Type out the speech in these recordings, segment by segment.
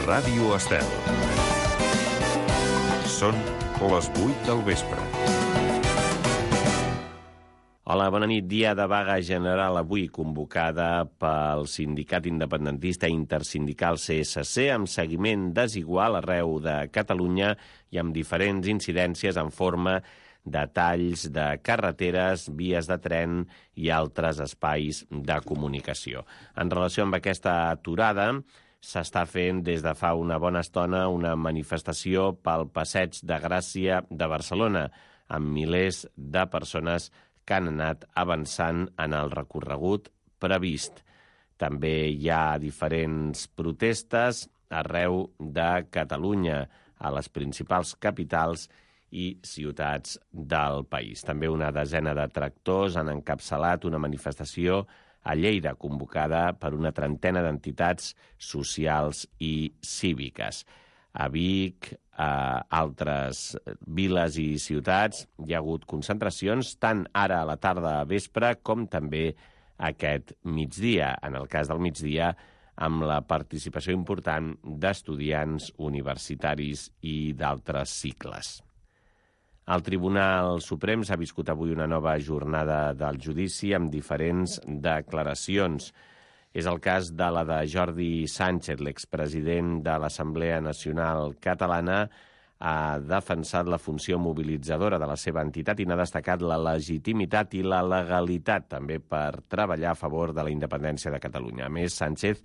Ràdio Estel. Són les 8 del vespre. Hola, bona nit. Dia de vaga general avui convocada pel sindicat independentista intersindical CSC amb seguiment desigual arreu de Catalunya i amb diferents incidències en forma de talls de carreteres, vies de tren i altres espais de comunicació. En relació amb aquesta aturada, s'està fent des de fa una bona estona una manifestació pel Passeig de Gràcia de Barcelona, amb milers de persones que han anat avançant en el recorregut previst. També hi ha diferents protestes arreu de Catalunya, a les principals capitals i ciutats del país. També una desena de tractors han encapçalat una manifestació a Lleida, convocada per una trentena d'entitats socials i cíviques. A Vic, a altres viles i ciutats, hi ha hagut concentracions tant ara a la tarda a vespre com també aquest migdia. En el cas del migdia, amb la participació important d'estudiants universitaris i d'altres cicles. El Tribunal Suprem s'ha viscut avui una nova jornada del judici amb diferents declaracions. És el cas de la de Jordi Sánchez, l'expresident de l'Assemblea Nacional Catalana. Ha defensat la funció mobilitzadora de la seva entitat i n'ha destacat la legitimitat i la legalitat també per treballar a favor de la independència de Catalunya. A més, Sánchez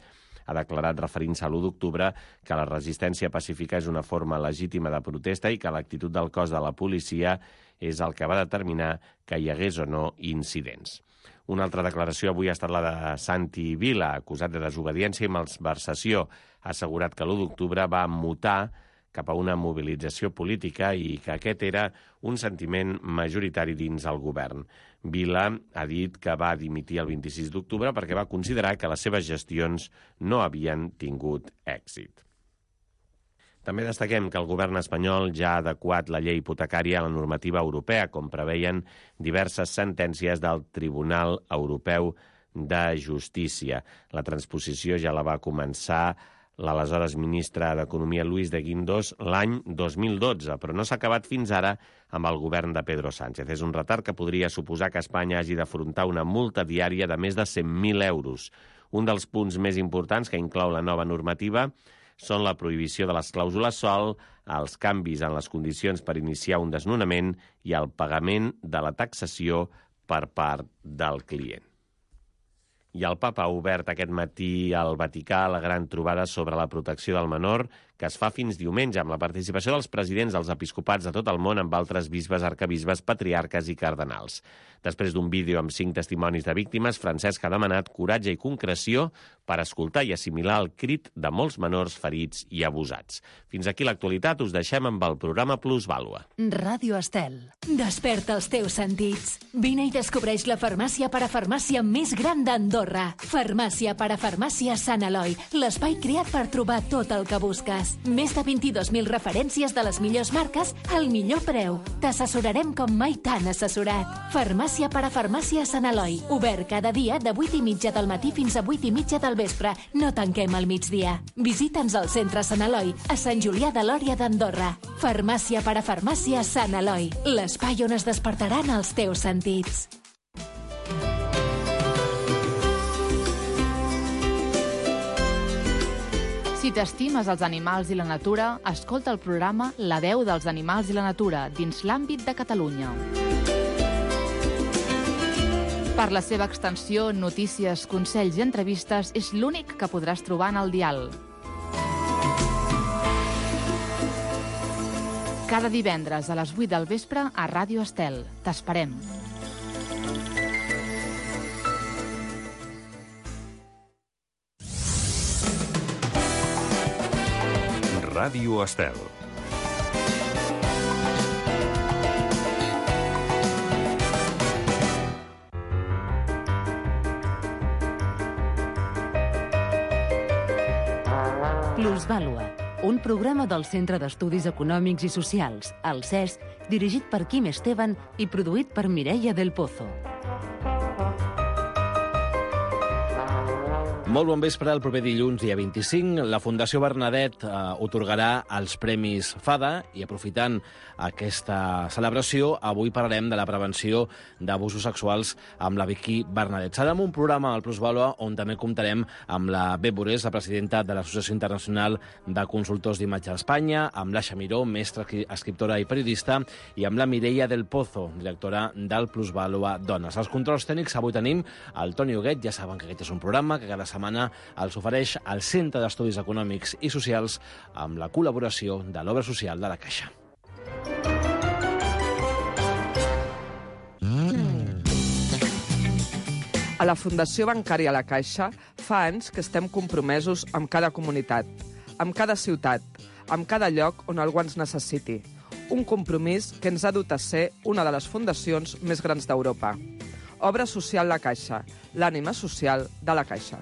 ha declarat, referint-se a l'1 d'octubre, que la resistència pacífica és una forma legítima de protesta i que l'actitud del cos de la policia és el que va determinar que hi hagués o no incidents. Una altra declaració avui ha estat la de Santi Vila, acusat de desobediència i malversació. Ha assegurat que l'1 d'octubre va mutar cap a una mobilització política i que aquest era un sentiment majoritari dins el govern. Vila ha dit que va dimitir el 26 d'octubre perquè va considerar que les seves gestions no havien tingut èxit. També destaquem que el govern espanyol ja ha adequat la llei hipotecària a la normativa europea, com preveien diverses sentències del Tribunal Europeu de Justícia. La transposició ja la va començar l'aleshores ministre d'Economia Luis de Guindos l'any 2012, però no s'ha acabat fins ara amb el govern de Pedro Sánchez. És un retard que podria suposar que Espanya hagi d'afrontar una multa diària de més de 100.000 euros. Un dels punts més importants que inclou la nova normativa són la prohibició de les clàusules sòl, els canvis en les condicions per iniciar un desnonament i el pagament de la taxació per part del client. I el papa ha obert aquest matí al Vaticà la gran trobada sobre la protecció del menor, que es fa fins diumenge, amb la participació dels presidents dels episcopats de tot el món, amb altres bisbes, arcabisbes, patriarques i cardenals. Després d'un vídeo amb 5 testimonis de víctimes, Francesc ha demanat coratge i concreció per escoltar i assimilar el crit de molts menors ferits i abusats. Fins aquí l'actualitat, us deixem amb el programa Plusvàlua. Ràdio Estel. Desperta els teus sentits. Vine i descobreix la farmàcia parafarmàcia més gran d'Andorra. Farmàcia parafarmàcia Sant Eloi, l'espai creat per trobar tot el que busques. Més de 22.000 referències de les millors marques al millor preu. T'assessorarem com mai t'han assessorat. Farmàcia parafarmàcia Sant Eloi. Obert cada dia de 8:30 del matí fins a 8:30 del vespre. No tanquem al migdia. Visita'ns al centre Sant Eloi, a Sant Julià de Lòria d'Andorra. Farmàcia parafarmàcia Sant Eloi. L'espai on es despertaran els teus sentits. Si t'estimes els animals i la natura, escolta el programa La veu dels animals i la natura dins l'àmbit de Catalunya. Per la seva extensió, notícies, consells i entrevistes, és l'únic que podràs trobar en el dial. Cada divendres a les 8 del vespre a Ràdio Estel. T'esperem. Ràdio Estel. Plusvàlua, un programa del Centre d'Estudis Econòmics i Socials, el CES, dirigit per Quim Esteban i produït per Mireia del Pozo. Molt bon vespre. El proper dilluns, dia 25, la Fundació Bernadet otorgarà els Premis FADA i, aprofitant aquesta celebració, avui parlarem de la prevenció d'abusos sexuals amb la Vicky Bernadet. Serà un programa al Plusvàlua on també comptarem amb la Beth Borés, la presidenta de l'Associació Internacional de Consultors d'Imatge d'Espanya, amb l'Aixa Miró, mestra, escriptora i periodista, i amb la Mireia del Pozo, directora del Plusvàlua Dones. Els controls tècnics avui tenim el Toni Huguet. Ja saben que aquest és un programa que cada setmana els ofereix el Centre d'Estudis Econòmics i Socials amb la col·laboració de l'Obra Social de la Caixa. A la Fundació Bancària La Caixa fa anys que estem compromesos amb cada comunitat, amb cada ciutat, amb cada lloc on algú ens necessiti. Un compromís que ens ha dut a ser una de les fundacions més grans d'Europa. Obra Social La Caixa, l'ànima social de la Caixa.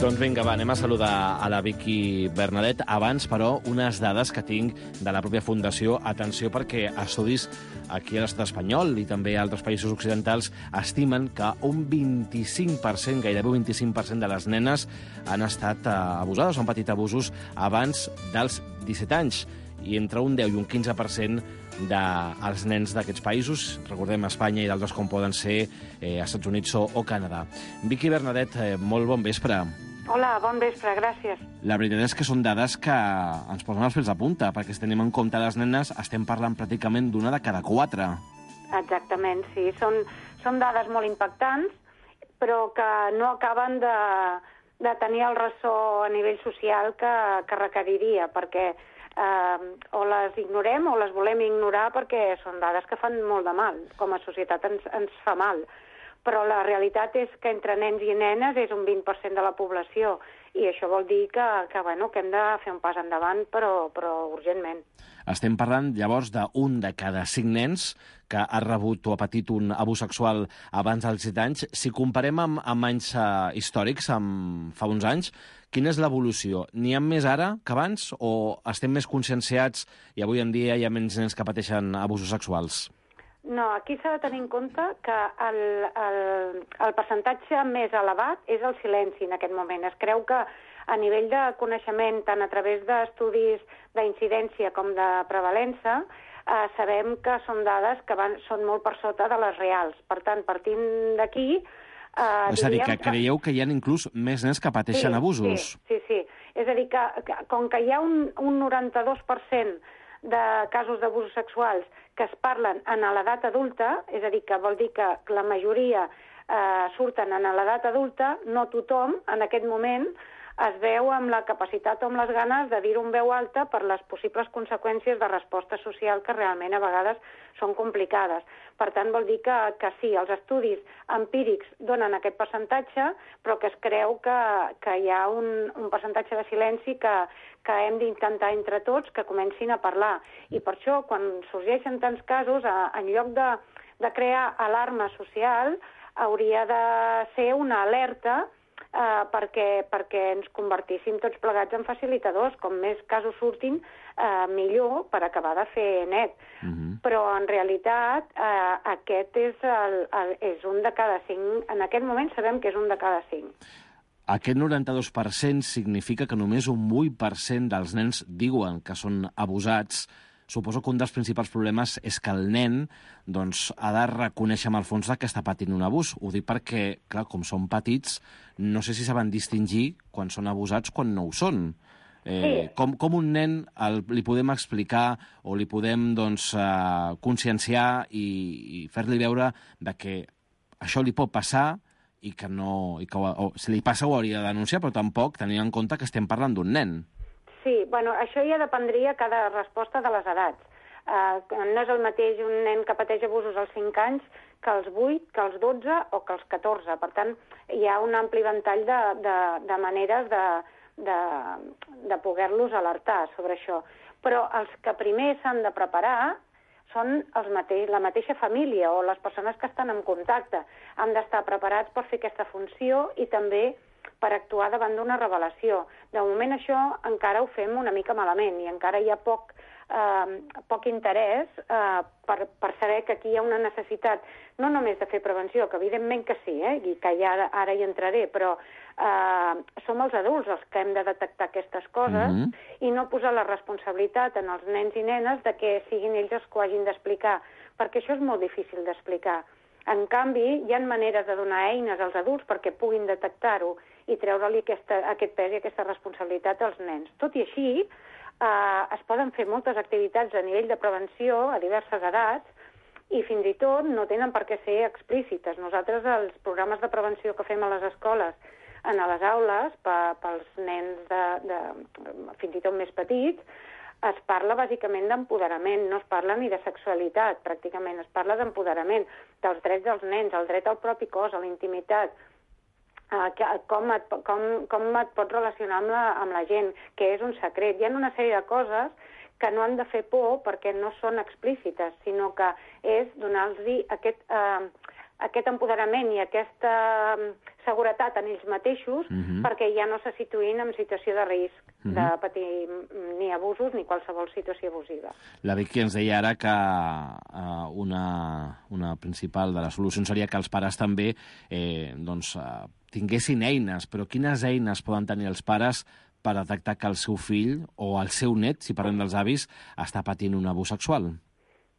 Doncs vinga, anem a saludar a la Vicky Bernadet. Abans, però, unes dades que tinc de la pròpia Fundació. Atenció, perquè estudis aquí a l'estat espanyol i també a altres països occidentals estimen que un 25%, gairebé un 25% de les nenes han estat abusades, han patit abusos abans dels 17 anys. I entre un 10 i un 15% dels nens d'aquests països, recordem Espanya i d'altres com poden ser Estats Units o Canadà. Vicky Bernadet, molt bon vespre. Hola, bon vespre, gràcies. La veritat és que són dades que ens posen els pèls de punta, perquè si tenim en compte les nenes, estem parlant pràcticament d'una de cada 4. Exactament, sí. Són dades molt impactants, però que no acaben de tenir el ressò a nivell social que requeriria, perquè o les ignorem o les volem ignorar perquè són dades que fan molt de mal. Com a societat ens fa mal. Però la realitat és que entre nens i nenes és un 20% de la població i això vol dir que hem de fer un pas endavant, però urgentment. Estem parlant, llavors, d'un de cada 5 nens que ha rebut o ha patit un abús sexual abans dels 17 anys. Si comparem amb anys històrics, fa uns anys, quina és l'evolució? N'hi ha més ara que abans o estem més conscienciats i avui en dia hi ha menys nens que pateixen abusos sexuals? No, aquí s'ha de tenir en compte que el percentatge més elevat és el silenci en aquest moment. Es creu que a nivell de coneixement, tant a través d'estudis d'incidència com de prevalença, sabem que són dades que són molt per sota de les reals. Per tant, partint d'aquí... És a dir, que creieu que hi ha inclús més nens que pateixen abusos? Sí. És a dir, que com que hi ha un 92% de casos d'abusos sexuals que es parlen en l'edat adulta, és a dir, que vol dir que la majoria surten en l'edat adulta, no tothom en aquest moment es veu amb la capacitat o amb les ganes de dir-ho en veu alta per les possibles conseqüències de resposta social que realment a vegades són complicades. Per tant, vol dir que sí, els estudis empírics donen aquest percentatge, però que es creu que hi ha un percentatge de silenci que hem d'intentar entre tots que comencin a parlar. I per això, quan sorgeixen tants casos, en lloc de crear alarma social, hauria de ser una alerta perquè ens convertíssim tots plegats en facilitadors. Com més casos surtin, millor per acabar de fer net. Però en realitat aquest és un de cada 5. En aquest moment sabem que és un de cada 5. Aquest 92% significa que només un 8% dels nens diuen que són abusats. Suposo que un dels principals problemes és que el nen ha de reconèixer amb el fons que està patint un abús. Ho dic perquè, clar, com són petits, no sé si saben distingir quan són abusats quan no ho són. Com un nen li podem explicar o li podem conscienciar i fer-li veure que això li pot passar i que si li passa ho hauria de denunciar, però tampoc tenint en compte que estem parlant d'un nen. Sí, això ja dependria cada resposta de les edats. No és el mateix un nen que pateix abusos als 5 anys que als 8, que als 12 o que als 14. Per tant, hi ha un ampli ventall de maneres de poder-los alertar sobre això. Però els que primer s'han de preparar són la mateixa família o les persones que estan en contacte. Han d'estar preparats per fer aquesta funció i també per actuar davant d'una revelació. De moment això encara ho fem una mica malament i encara hi ha poc interès per saber que aquí hi ha una necessitat no només de fer prevenció, que evidentment que sí, i que ja ara hi entraré, però som els adults els que hem de detectar aquestes coses i no posar la responsabilitat en els nens i nenes de que siguin ells els que ho hagin d'explicar, perquè això és molt difícil d'explicar. En canvi, hi ha maneres de donar eines als adults perquè puguin detectar-ho i treure-li aquest pes i aquesta responsabilitat als nens. Tot i així, es poden fer moltes activitats a nivell de prevenció a diverses edats i fins i tot no tenen per què ser explícites. Nosaltres, els programes de prevenció que fem a les escoles, a les aules, pels nens fins i tot més petits, es parla bàsicament d'empoderament, no es parla ni de sexualitat, pràcticament, es parla d'empoderament, dels drets dels nens, el dret al propi cos, a la intimitat, com et pots relacionar amb la gent, que és un secret. Hi ha una sèrie de coses que no han de fer por perquè no són explícites, sinó que és donar-los aquest empoderament i aquesta seguretat en ells mateixos perquè ja no se situïn en situació de risc de patir ni abusos ni qualsevol situació abusiva. La Vicky ens deia ara que una principal de les solucions seria que els pares també tinguessin eines, però quines eines poden tenir els pares per detectar que el seu fill o el seu net, si parlem dels avis, està patint un abús sexual?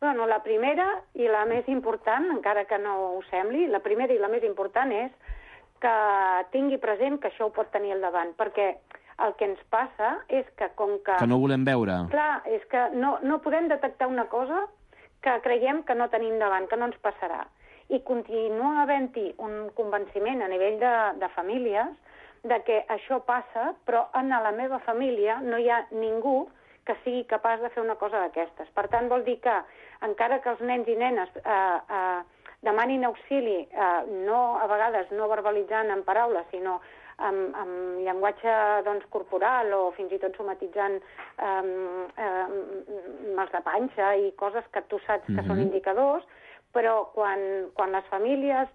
Bueno, la primera i la més important, encara que no ho sembli, la primera i la més important és que tingui present que això ho pot tenir al davant, perquè el que ens passa és que com que... Que no volem veure. Clar, és que no podem detectar una cosa que creiem que no tenim davant, que no ens passarà. I continua havent-hi un convenciment a nivell de famílies de que això passa, però en la meva família no hi ha ningú que sigui capaç de fer una cosa d'aquestes. Per tant, vol dir que, encara que els nens i nenes demanin auxili, a vegades no verbalitzant en paraules, sinó amb llenguatge corporal o fins i tot somatitzant mals de panxa i coses que tu saps que són indicadors, però quan les famílies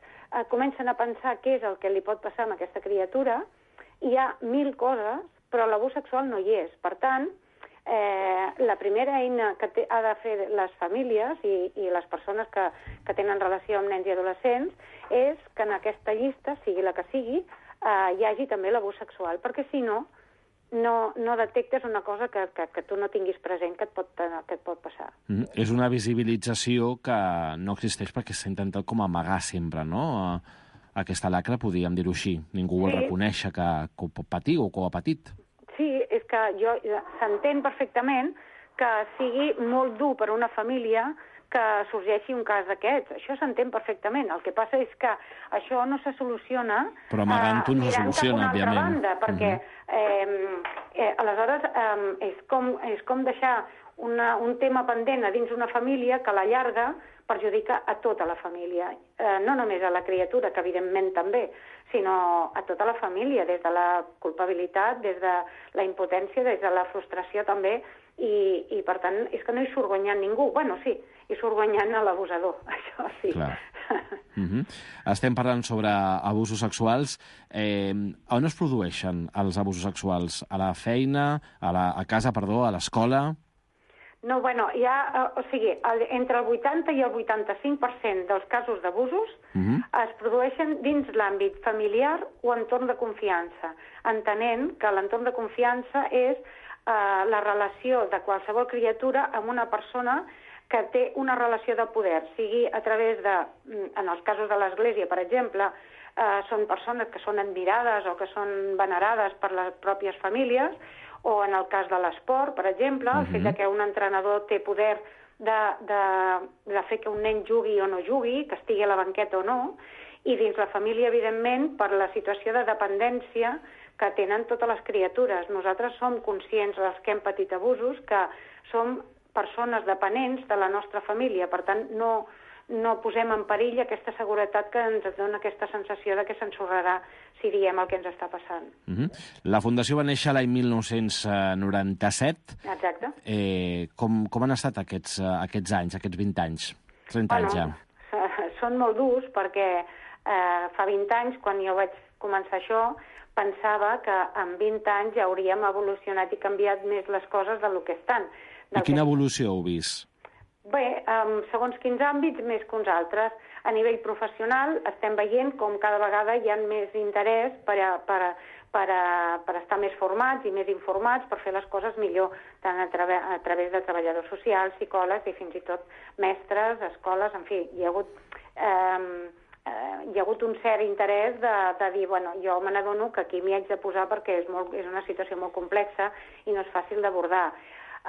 comencen a pensar què és el que li pot passar a aquesta criatura, hi ha 1000 coses, però l'abús sexual no hi és. Per tant, la primera eina que ha de fer les famílies i les persones que tenen relació amb nens i adolescents és que en aquesta llista, sigui la que sigui, hi hagi també l'abús sexual, perquè si no detectes una cosa que tu no tinguis present que et pot passar. És una visibilització que no existeix perquè s'ha intentat com amagar sempre, no? Aquesta lacra, podríem dir-ho així. Ningú vol reconèixer que ho pot patir o que ho ha patit. Sí, és que s'entén perfectament que sigui molt dur per una família que sorgeixi un cas d'aquests. Això s'entén perfectament. El que passa és que això no se soluciona... Però amagant-ho no se soluciona, òbviament. Banda, perquè aleshores és com deixar un tema pendent a dins una família que a la llarga perjudica a tota la família. No només a la criatura, que evidentment també, sinó a tota la família, des de la culpabilitat, des de la impotència, des de la frustració també, i per tant és que no hi surt guanyant ningú. Bueno, sí, hi surt guanyant l'abusador, això sí. Clar. Estem parlant sobre abusos sexuals. On es produeixen els abusos sexuals? A la feina, a casa, a l'escola? No, bueno, entre el 80 i el 85% dels casos d'abusos es produeixen dins l'àmbit familiar o entorn de confiança, entenent que l'entorn de confiança és la relació de qualsevol criatura amb una persona que té una relació de poder, sigui a través de, en els casos de l'Església, per exemple, són persones que són admirades o que són venerades per les pròpies famílies, o en el cas de l'esport, per exemple, el fet que un entrenador té poder de fer que un nen jugui o no jugui, que estigui a la banqueta o no, i dins la família, evidentment, per la situació de dependència que tenen totes les criatures. Nosaltres som conscients, els que hem patit abusos, que som persones dependents de la nostra família, per tant, no posem en perill aquesta seguretat que ens dona aquesta sensació de que s'ensorrarà si diem el que ens està passant. La Fundació va néixer l'any 1997. Exacte. Com han estat aquests anys, aquests 20 anys? 30 anys ja. Són molt durs perquè fa 20 anys, quan jo vaig començar això, pensava que en 20 anys ja hauríem evolucionat i canviat més les coses del que estan. I quina evolució heu vist? Bé, segons quins àmbits, més que uns altres. A nivell professional estem veient com cada vegada hi ha més interès per estar més formats i més informats, per fer les coses millor, tant a través de treballadors socials, psicòlegs i fins i tot mestres, escoles, en fi, hi ha hagut un cert interès de dir, bueno, jo me n'adono que aquí m'hi haig de posar perquè és una situació molt complexa i no és fàcil d'abordar.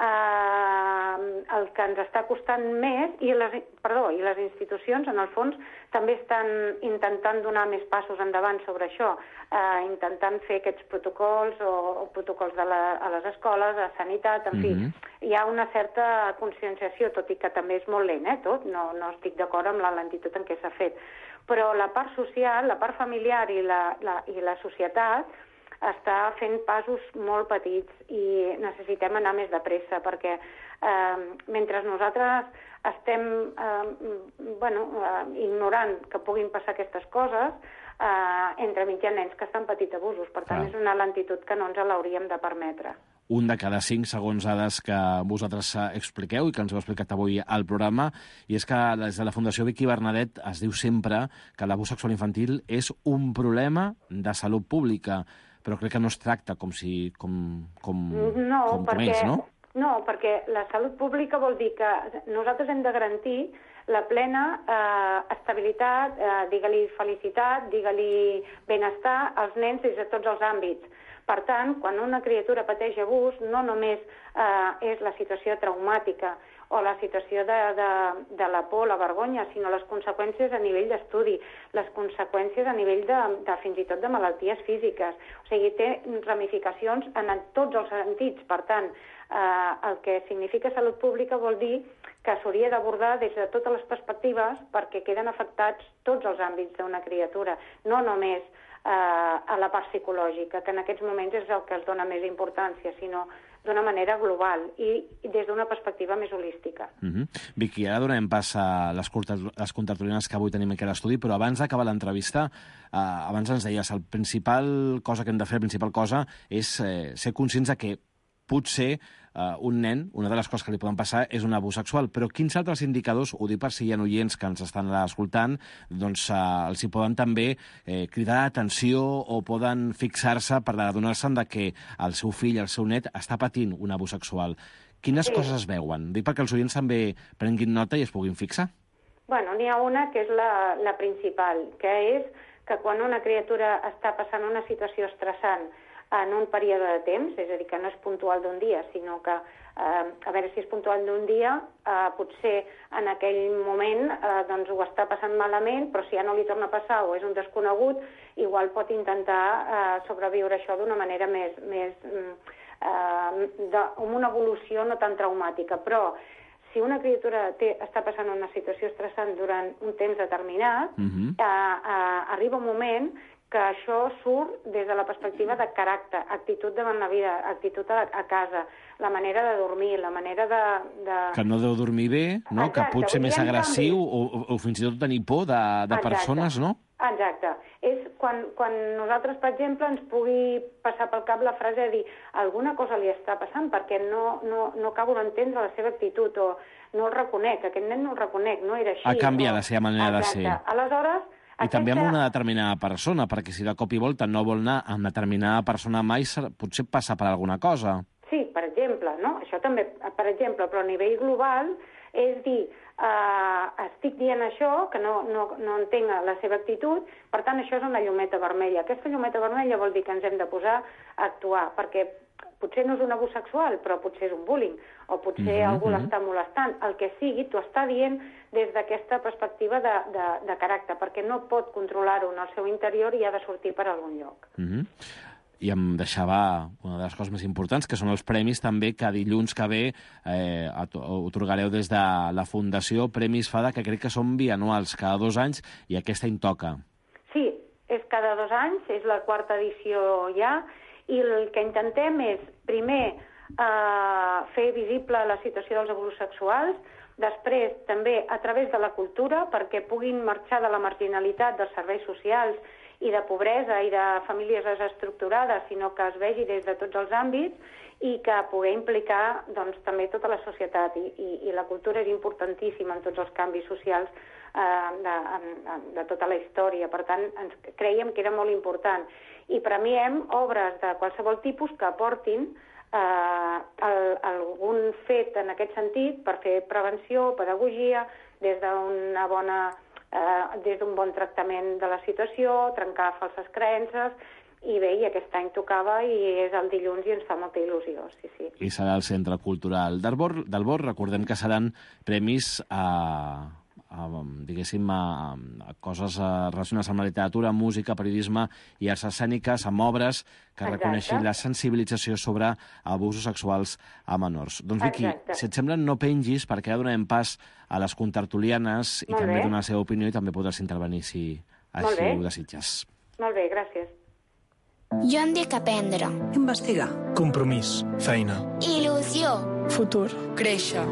El que ens està costant més, i les institucions, en el fons, també estan intentant donar més passos endavant sobre això, intentant fer aquests protocols o protocols a les escoles, a sanitat, en fi. Hi ha una certa conscienciació, tot i que també és molt lent, tot, no estic d'acord amb la lentitud en què s'ha fet. Però la part social, la part familiar i la societat està fent passos molt petits i necessitem anar més de pressa perquè mentre nosaltres estem ignorant que puguin passar aquestes coses, entremig hi ha nens que estan patint abusos. Per tant, és una lentitud que no ens l'hauríem de permetre. Un de cada 5 segons dades que vosaltres expliqueu i que ens heu explicat avui al programa, i és que des de la Fundació Vicky Bernadet es diu sempre que l'abús sexual infantil és un problema de salut pública, però crec que no es tracta com és, no? No, perquè la salut pública vol dir que nosaltres hem de garantir la plena estabilitat, digue-li felicitat, digue-li benestar als nens des de tots els àmbits. Per tant, quan una criatura pateix abús, no només és la situació traumàtica o la situació de la por, la vergonya, sinó les conseqüències a nivell d'estudi, les conseqüències a nivell de fins i tot de malalties físiques. O sigui, té ramificacions en tots els sentits. Per tant, el que significa salut pública vol dir que s'hauria d'abordar des de totes les perspectives perquè queden afectats tots els àmbits d'una criatura, no només a la part psicològica, que en aquests moments és el que es dona més importància, sinó d'una manera global i des d'una perspectiva més holística. Vicky, ara donem pas a les contertulianes que avui tenim aquí a l'estudi, però abans d'acabar l'entrevista, abans ens deies, la principal cosa que hem de fer, la principal cosa, és ser conscients de que potser un nen, una de les coses que li poden passar és un abús sexual, però quins altres indicadors, ho dic per si hi ha oients que ens estan escoltant, doncs els hi poden també cridar l'atenció o poden fixar-se per adonar-se'n que el seu fill, el seu net, està patint un abús sexual. Quines coses es veuen? Dic perquè els oients també prenguin nota i es puguin fixar. Bueno, n'hi ha una que és la principal, que és que quan una criatura està passant una situació estressant en un període de temps, és a dir, que no és puntual d'un dia, sinó que, a veure si és puntual d'un dia, potser en aquell moment doncs ho està passant malament, però si ja no li torna a passar o és un desconegut, igual pot intentar sobreviure això d'una manera amb una evolució no tan traumàtica. Però si una criatura està passant una situació estressant durant un temps determinat, arriba un moment que això surt des de la perspectiva de caràcter, actitud davant la vida, actitud a casa, la manera de dormir, la manera de... Que no deu dormir bé, no? Exacte, que pot ser més agressiu o fins i tot tenir por de persones, no? Exacte. És quan nosaltres, per exemple, ens pugui passar pel cap la frase de dir alguna cosa li està passant perquè no acabo d'entendre la seva actitud o no el reconec, aquest nen no el reconec, no era així. Ha canviat la seva manera de ser. Aleshores... I també amb una determinada persona, perquè si de cop i volta no vol anar amb determinada persona mai, potser passa per alguna cosa. Sí, per exemple, no? Això també, per exemple, però a nivell global és dir, estic dient això, que no entenc la seva actitud, per tant, això és una llumeta vermella. Aquesta llumeta vermella vol dir que ens hem de posar a actuar, perquè potser no és un abús sexual, però potser és un bullying, o potser algú l'està molestant. El que sigui, t'ho està dient des d'aquesta perspectiva de caràcter, perquè no pot controlar-ho en el seu interior i ha de sortir per algun lloc. I em deixava una de les coses més importants, que són els premis també que dilluns que ve otorgareu des de la Fundació Premis FADA, que crec que són bianuals, cada 2 anys, i aquesta en toca. Sí, és cada 2 anys, és la 4ª edició ja, i el que intentem és, primer, fer visible la situació dels abusos sexuals, després també a través de la cultura, perquè puguin marxar de la marginalitat dels serveis socials i de pobresa i de famílies desestructurades, sinó que es vegi des de tots els àmbits i que pugui implicar doncs, també tota la societat. I la cultura és importantíssima en tots els canvis socials de tota la història. Per tant, ens creiem que era molt important. I premiem obres de qualsevol tipus que aportin algun fet en aquest sentit per fer prevenció, pedagogia, des d'un bon tractament de la situació, trencar falses creences. I bé, i aquest any tocava i és el dilluns i ens fa molta il·lusió, sí. I serà el Centre Cultural del Bor. Recordem que seran premis a coses relacionades amb la literatura, música, periodisme i arts escèniques, amb obres que reconeixin la sensibilització sobre abusos sexuals a menors. Doncs, Vicky, si et sembla, no pengis, perquè ja donem pas a les contertulianes i també donar la seva opinió i també podràs intervenir si així ho desitges. Molt bé, gràcies. Jo em dic aprendre. Investigar. Compromís. Feina. Il·lusió. Futur. Créixer.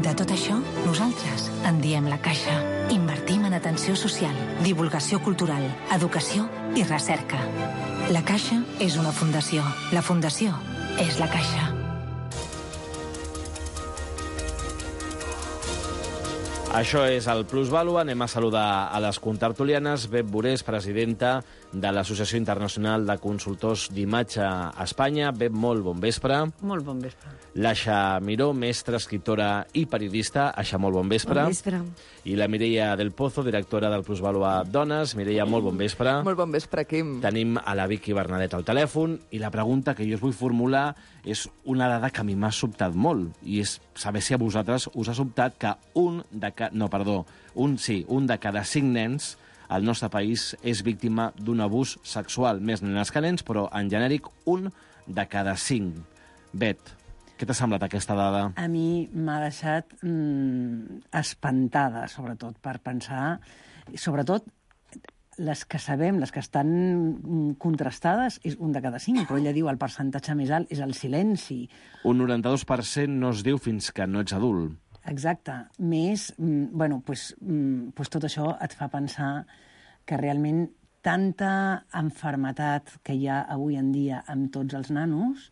De tot això, nosaltres en diem La Caixa. Invertim en atenció social, divulgació cultural, educació i recerca. La Caixa és una fundació. La fundació és La Caixa. Això és el Plusvàlua. Anem a saludar a les contertulianes. Beth Borés, presidenta de l'Associació Internacional de Consultors d'Imatge a Espanya. Beth, molt bon vespre. Molt bon vespre. L'Aixa Miró, mestra, escriptora i periodista. Aixa, molt bon vespre. Bon vespre. I la Mireia del Pozo, directora del Plusvàlua Dones. Mireia, molt bon vespre. Molt bon vespre, Quim. Tenim a la Vicky Bernadet al telèfon i la pregunta que jo us vull formular és una dada que a mi m'ha sobtat molt i és saber si a vosaltres us ha sobtat que un de cada 5 nens al nostre país és víctima d'un abús sexual. Més nenes que nens, però en genèric un de cada 5. Bet, què t'ha semblat aquesta dada? A mi m'ha deixat espantada, sobretot, per pensar... Sobretot, les que sabem, les que estan contrastades, és un de cada 5, però ella diu el percentatge més alt és el silenci. Un 92% no es diu fins que no ets adult. Exacte. Més, tot això et fa pensar que realment tanta malaltia que hi ha avui en dia amb tots els nanos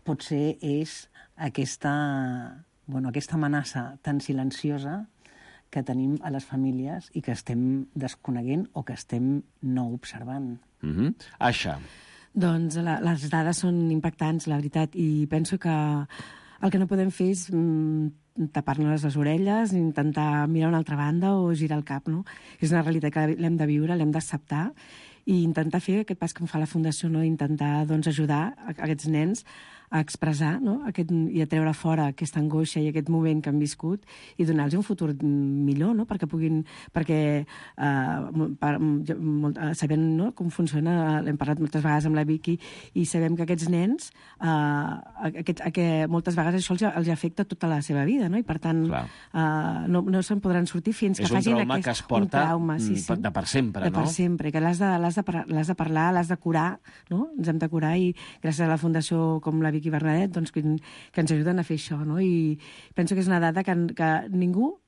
potser és aquesta amenaça tan silenciosa que tenim a les famílies i que estem desconeguent o que estem no observant. Aixa. Doncs les dades són impactants, la veritat, i penso que el que no podem fer és tapar-nos les orelles, intentar mirar una altra banda o girar el cap, no? És una realitat que l'hem de viure, l'hem d'acceptar i intentar fer aquest pas que em fa la Fundació, no? Intentar ajudar aquests nens a expressar, no? I a treure fora aquesta angoixa i aquest moment que han viscut i donar-los un futur millor, no? Sabem, no? Com funciona, l'hem parlat moltes vegades amb la Vicky, i sabem que aquests nens, moltes vegades això els afecta tota la seva vida, no? I per tant no se'n podran sortir fins que facin és un trauma que es porta de per sempre, no? De per sempre, que l'has de parlar, l'has de curar, no? Ens hem de curar i gràcies a la Fundació com la Vicky Bernadet, doncs, que ens ajuden a fer això, no? I penso que és una dada que ningú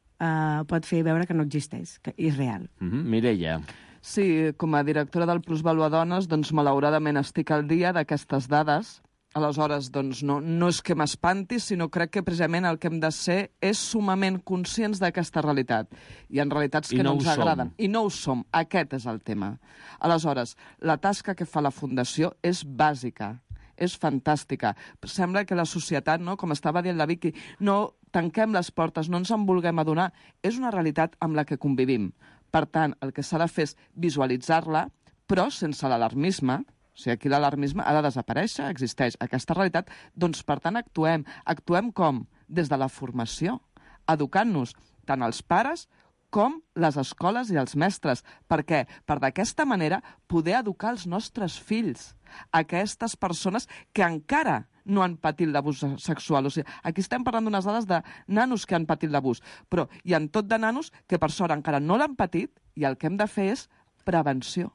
pot fer veure que no existeix, que és real. Mireia. Sí, com a directora del Plusvàlua Dones, doncs malauradament estic al dia d'aquestes dades. Aleshores, doncs, no és que m'espanti, sinó crec que precisament el que hem de ser és sumament conscients d'aquesta realitat. Hi ha realitats que no ens agraden. I no ho som. Aquest és el tema. Aleshores, la tasca que fa la Fundació és bàsica, és fantàstica. Sembla que la societat, no, com estava dient la Vicky, no tanquem les portes, no ens en vulguem adonar. És una realitat amb la que convivim. Per tant, el que s'ha de fer és visualitzar-la, però sense l'alarmisme. O sigui, aquí l'alarmisme ha de desaparèixer, existeix aquesta realitat. Doncs, per tant, actuem. Actuem com? Des de la formació, educant-nos tant els pares com les escoles i els mestres. Per què? Per d'aquesta manera poder educar els nostres fills, aquestes persones que encara no han patit l'abús sexual. O sigui, aquí estem parlant d'unes dades de nanos que han patit l'abús, però hi ha tot de nanos que per sort encara no l'han patit i el que hem de fer és prevenció.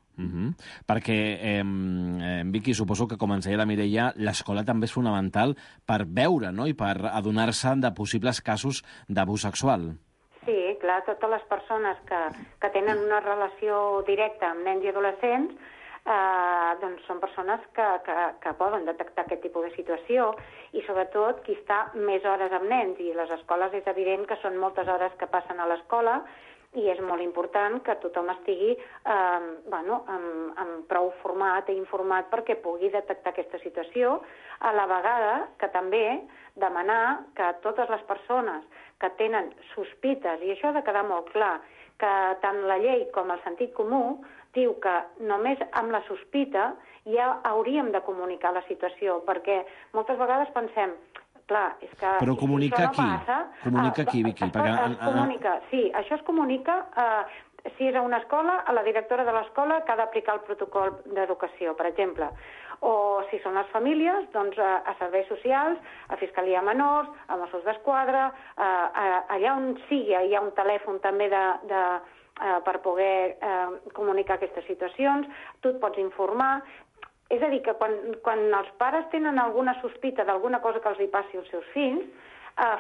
Perquè, Vicky, suposo que, com ens deia la Mireia, l'escola també és fonamental per veure, no?, i per adonar-se de possibles casos d'abús sexual. Sí, clar, totes les persones que tenen una relació directa amb nens i adolescents doncs són persones que poden detectar aquest tipus de situació i sobretot qui està més hores amb nens, i les escoles és evident que són moltes hores que passen a l'escola i és molt important que tothom estigui amb prou format i informat perquè pugui detectar aquesta situació, a la vegada que també demanar que totes les persones que tenen sospites, i això ha de quedar molt clar, que tant la llei com el sentit comú diu que només amb la sospita ja hauríem de comunicar la situació, perquè moltes vegades pensem, clar, és que... Però comunica si no passa, comunica qui, Vicky? Sí, això es comunica, si és a una escola, a la directora de l'escola que ha d'aplicar el protocol d'educació, per exemple. O si són les famílies, doncs a serveis socials, a Fiscalia Menors, a Mossos d'Esquadra, allà on sigui, hi ha un telèfon també per poder comunicar aquestes situacions, tu et pots informar. És a dir, que quan els pares tenen alguna sospita d'alguna cosa que els hi passi als seus fills,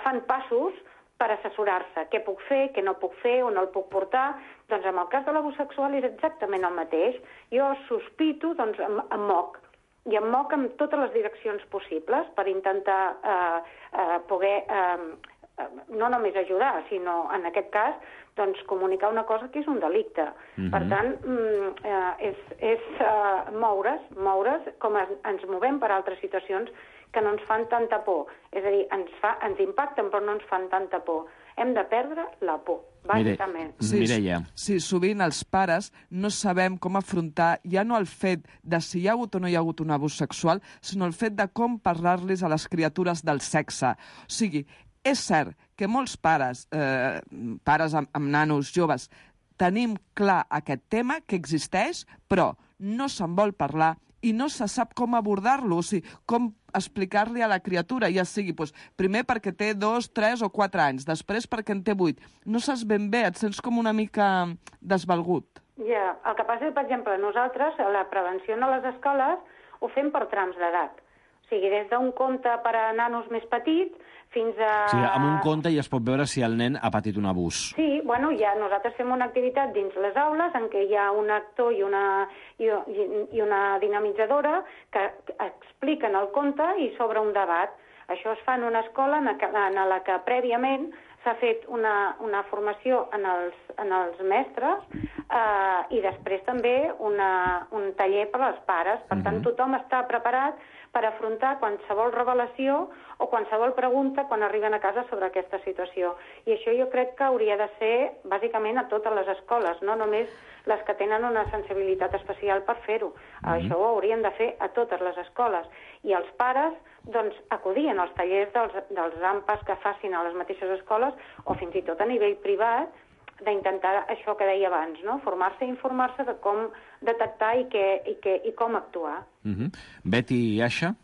fan passos per assessorar-se. Què puc fer, què no puc fer, on el puc portar? Doncs en el cas de l'abús sexual és exactament el mateix. Jo sospito, doncs em moc. I em moc en totes les direccions possibles per intentar poder no només ajudar, sinó en aquest cas doncs, comunicar una cosa que és un delicte. Per tant, és moure's com ens movem per altres situacions que no ens fan tanta por. És a dir, ens impacten però no ens fan tanta por. Hem de perdre la por, bàsicament. Mireia. Sí, sovint els pares no sabem com afrontar ja no el fet de si hi ha hagut o no hi ha hagut un abús sexual, sinó el fet de com parlar-los a les criatures del sexe. O sigui, és cert que molts pares, pares amb nanos joves, tenim clar aquest tema que existeix, però no se'n vol parlar i no se sap com abordar-lo, o sigui, com explicar-li a la criatura, ja sigui primer perquè té 2, 3 o 4 anys, després perquè en té 8. No saps ben bé, et sents com una mica desvalgut. Ja, el que passa és, per exemple, nosaltres, la prevenció a les escoles, ho fem per trams d'edat. O sigui, des d'un conte per a nanos més petits fins a... O sigui, amb un conte ja es pot veure si el nen ha patit un abús. Sí, bueno, ja nosaltres fem una activitat dins les aules en què hi ha un actor i una dinamitzadora que expliquen el conte i s'obre un debat. Això es fa en una escola en la que prèviament s'ha fet una formació en els mestres i després també un taller per als pares. Per tant, tothom està preparat per afrontar qualsevol revelació o qualsevol pregunta quan arriben a casa sobre aquesta situació. I això jo crec que hauria de ser, bàsicament, a totes les escoles, no només les que tenen una sensibilitat especial per fer-ho. Això ho haurien de fer a totes les escoles. I els pares, doncs, acudien als tallers dels AMPAs que facin a les mateixes escoles o fins i tot a nivell privat, d'intentar això que deia abans, no? Formar-se i informar-se de com detectar i com actuar. Betty i Aixa?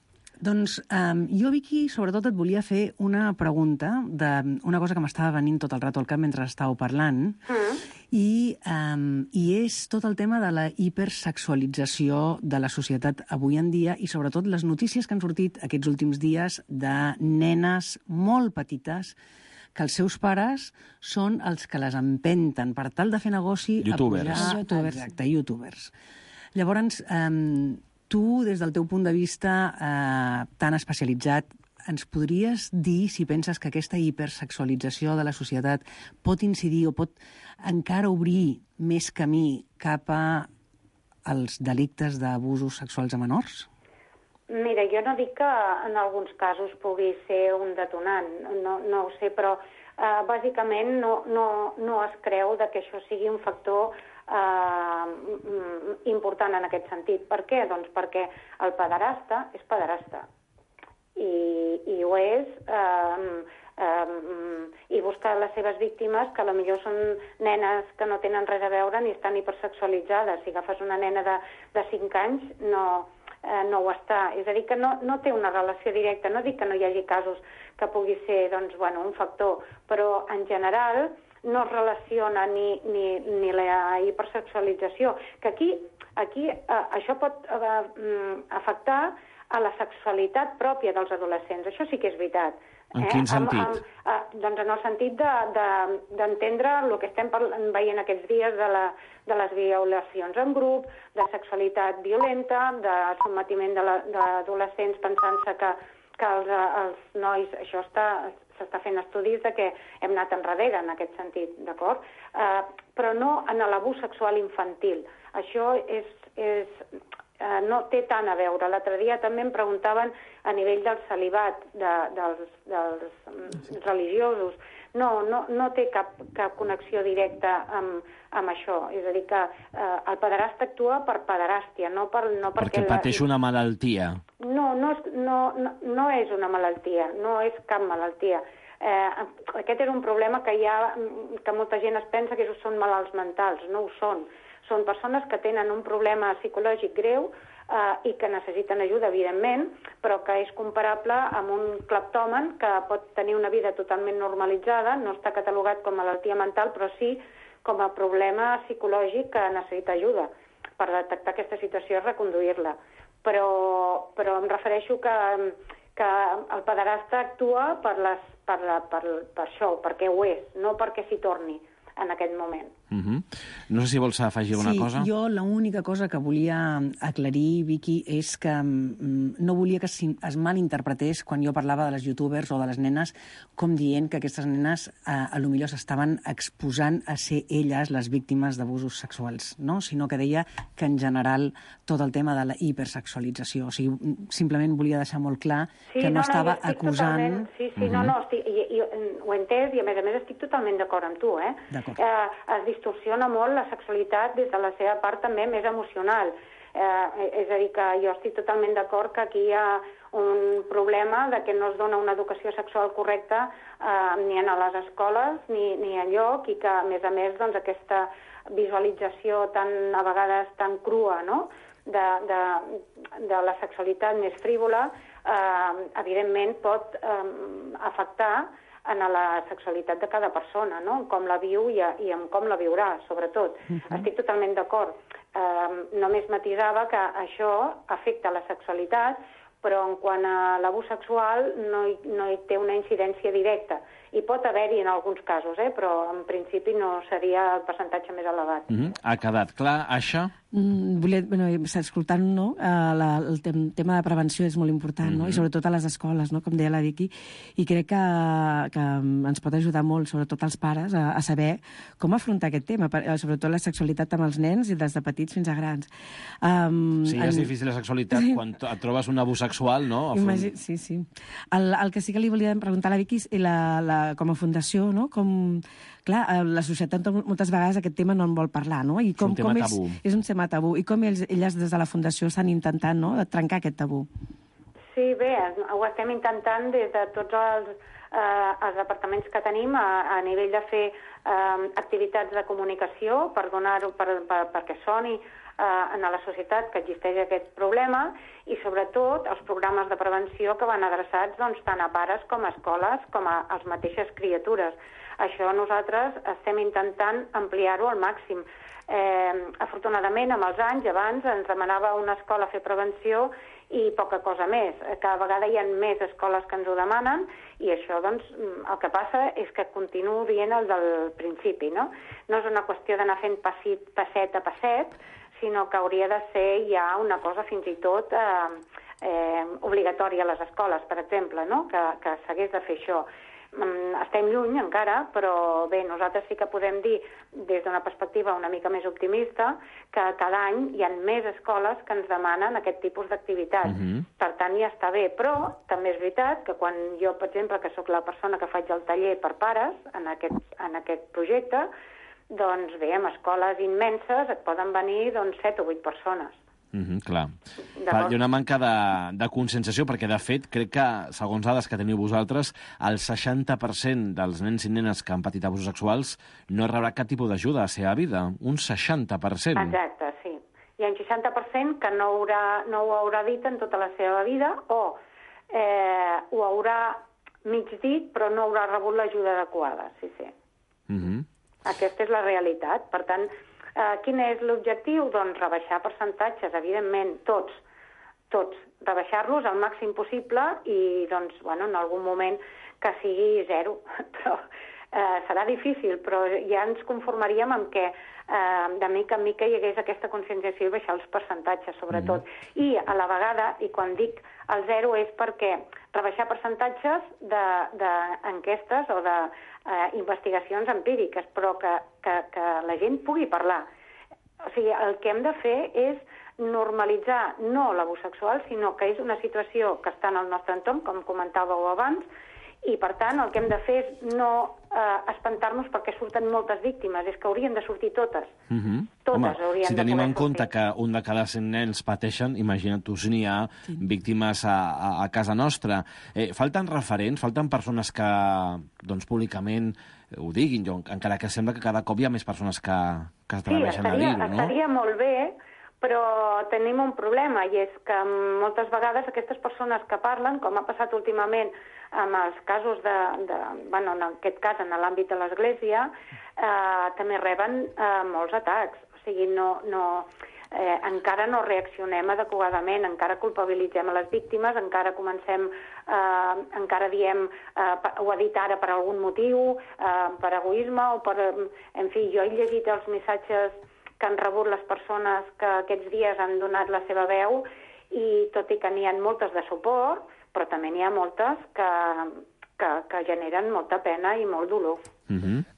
Doncs jo, Vicky, sobretot et volia fer una pregunta d'una cosa que m'estava venint tot el rato al cap mentre estàveu parlant, i és tot el tema de la hipersexualització de la societat avui en dia i sobretot les notícies que han sortit aquests últims dies de nenes molt petites que els seus pares són els que les empenten per tal de fer negoci youtubers. A pujar... Exacte, youtubers. Llavors, tu, des del teu punt de vista tan especialitzat, ens podries dir si penses que aquesta hipersexualització de la societat pot incidir o pot encara obrir més camí cap als delictes d'abusos sexuals a menors? Mira, jo no dic que en alguns casos pugui ser un detonant, no ho sé, però bàsicament no es creu que això sigui un factor important en aquest sentit. Per què? Doncs perquè el pederasta és pederasta i ho és i buscar les seves víctimes, que potser són nenes que no tenen res a veure ni estan hipersexualitzades. Si agafes una nena de 5 anys, no ho està. És a dir, que no té una relació directa. No dic que no hi hagi casos que pugui ser un factor, però en general no es relaciona ni la hipersexualització. Que aquí això pot afectar a la sexualitat pròpia dels adolescents. Això sí que és veritat. En quin sentit? Doncs en el sentit d'entendre el que estem veient aquests dies de les violacions en grup, de sexualitat violenta, de sotmetiment d'adolescents pensant-se que els nois... Això s'està fent estudis de que hem anat enrere en aquest sentit, d'acord? Però no en l'abús sexual infantil. Això no té tant a veure. L'altre dia també em preguntaven a nivell del celibat dels religiosos. No té cap connexió directa amb això. És a dir, que el pederasta actua per pederàstia, no perquè pateix una malaltia. No és una malaltia, no és cap malaltia. Aquest és un problema que molta gent es pensa que són malalts mentals. No ho són. Són persones que tenen un problema psicològic greu i que necessiten ajuda, evidentment, però que és comparable amb un cleptòman que pot tenir una vida totalment normalitzada, no està catalogat com a malaltia mental, però sí com a problema psicològic que necessita ajuda per detectar aquesta situació i reconduir-la. Però em refereixo que el pederasta actua per això, perquè ho és, no perquè s'hi torni en aquest moment. No sé si vols afegir alguna cosa. Sí, jo l'única cosa que volia aclarir, Vicky, és que no volia que es malinterpretés quan jo parlava de les youtubers o de les nenes com dient que aquestes nenes a lo millor s'estaven exposant a ser elles les víctimes d'abusos sexuals, no? Sinó que deia que en general tot el tema de la hipersexualització. O sigui, simplement volia deixar molt clar que no estava acusant... Sí, ho he entès i a més estic totalment d'acord amb tu, eh? Es distorsiona molt la sexualitat des de la seva part també més emocional. És a dir, que jo estic totalment d'acord que aquí hi ha un problema de que no es dona una educació sexual correcta ni a les escoles ni enlloc, i que, a més, doncs, aquesta visualització a vegades tan crua, no?, de la sexualitat més frívola, evidentment pot afectar en la sexualitat de cada persona, no?, com la viu i en com la viurà, sobretot. Estic totalment d'acord. Només matisava que això afecta la sexualitat, però en quant a l'abús sexual no hi té una incidència directa. Hi pot haver-hi en alguns casos, però en principi no seria el percentatge més elevat. Ha quedat clar, Aixa? Escoltant, no? El tema de prevenció és molt important, no? I sobretot a les escoles, no? Com deia la Vicky, i crec que ens pot ajudar molt, sobretot als pares, a saber com afrontar aquest tema, sobretot la sexualitat amb els nens i des de petits fins a grans. Sí, és difícil la sexualitat quan et trobes un abús sexual, no? Sí. El que sí que li volia preguntar a la Vicky és com a fundació, no? Clar, la societat moltes vegades aquest tema no en vol parlar, no? I és un tema tabú. És un tema tabú. I com elles des de la fundació estan intentant, no?, de trencar aquest tabú. Sí, bé, ho estem intentant des de tots els departaments que tenim a nivell de fer activitats de comunicació per donar-ho, perquè soni en la societat que existeix aquest problema, i sobretot els programes de prevenció que van adreçats tant a pares com a escoles com a les mateixes criatures. Això nosaltres estem intentant ampliar-ho al màxim. Afortunadament, amb els anys, abans ens demanava una escola fer prevenció i poca cosa més. Cada vegada hi ha més escoles que ens ho demanen, i això, doncs, el que passa és que continuo dient el del principi, no? No és una qüestió d'anar fent passet a passet, sinó que hauria de ser ja una cosa fins i tot obligatòria a les escoles, per exemple, no?, que s'hagués de fer això. Estem lluny encara, però bé, nosaltres sí que podem dir, des d'una perspectiva una mica més optimista, que cada any hi ha més escoles que ens demanen aquest tipus d'activitat. Per tant, ja està bé, però també és veritat que quan jo, per exemple, que sóc la persona que faig el taller per pares en aquest projecte, doncs bé, en escoles immenses et poden venir 7 o 8 persones. Clar. Hi ha una manca de conscienciació, perquè, de fet, crec que, segons dades que teniu vosaltres, el 60% dels nens i nenes que han patit abusos sexuals no rebrà cap tipus d'ajuda a la seva vida. Un 60%. Exacte, sí. Hi ha un 60% que no ho haurà dit en tota la seva vida, o ho haurà mig dit, però no haurà rebut l'ajuda adequada, sí. Aquesta és la realitat. Per tant, quin és l'objectiu? Doncs rebaixar percentatges, evidentment, tots. rebaixar-los al màxim possible i, doncs, bueno, en algun moment que sigui 0. Però serà difícil, però ja ens conformaríem amb que de mica en mica hi hagués aquesta conscienciació i baixar els percentatges, sobretot. I a la vegada, i quan dic el 0 és perquè rebaixar percentatges d'enquestes o d'investigacions empíriques, però que la gent pugui parlar. O sigui, el que hem de fer és normalitzar no l'abús sexual, sinó que és una situació que està en el nostre entorn, com comentàveu abans, i, per tant, el que hem de fer és no espantar-nos perquè surten moltes víctimes, és que haurien de sortir totes. Totes haurien de poder sortir. Si tenim en compte que un de cada 100 nens pateixen, imagina't tu si n'hi ha víctimes a casa nostra. Falten referents, falten persones que, doncs, públicament ho diguin, encara que sembla que cada cop hi ha més persones que es atreveixen a dir-ho, no? Sí, estaria molt bé, però tenim un problema, i és que moltes vegades aquestes persones que parlen, com ha passat últimament amb els casos bueno, en aquest cas en l'àmbit de l'Església, també reben molts atacs. O sigui, encara no reaccionem adequadament, encara culpabilitzem a les víctimes, encara diem ho ha dit ara per algun motiu, per egoisme o per... En fi, jo he llegit els missatges que han rebut les persones que aquests dies han donat la seva veu i tot i que n'hi ha moltes de suport, però també n'hi ha moltes que generen molta pena i molt dolor.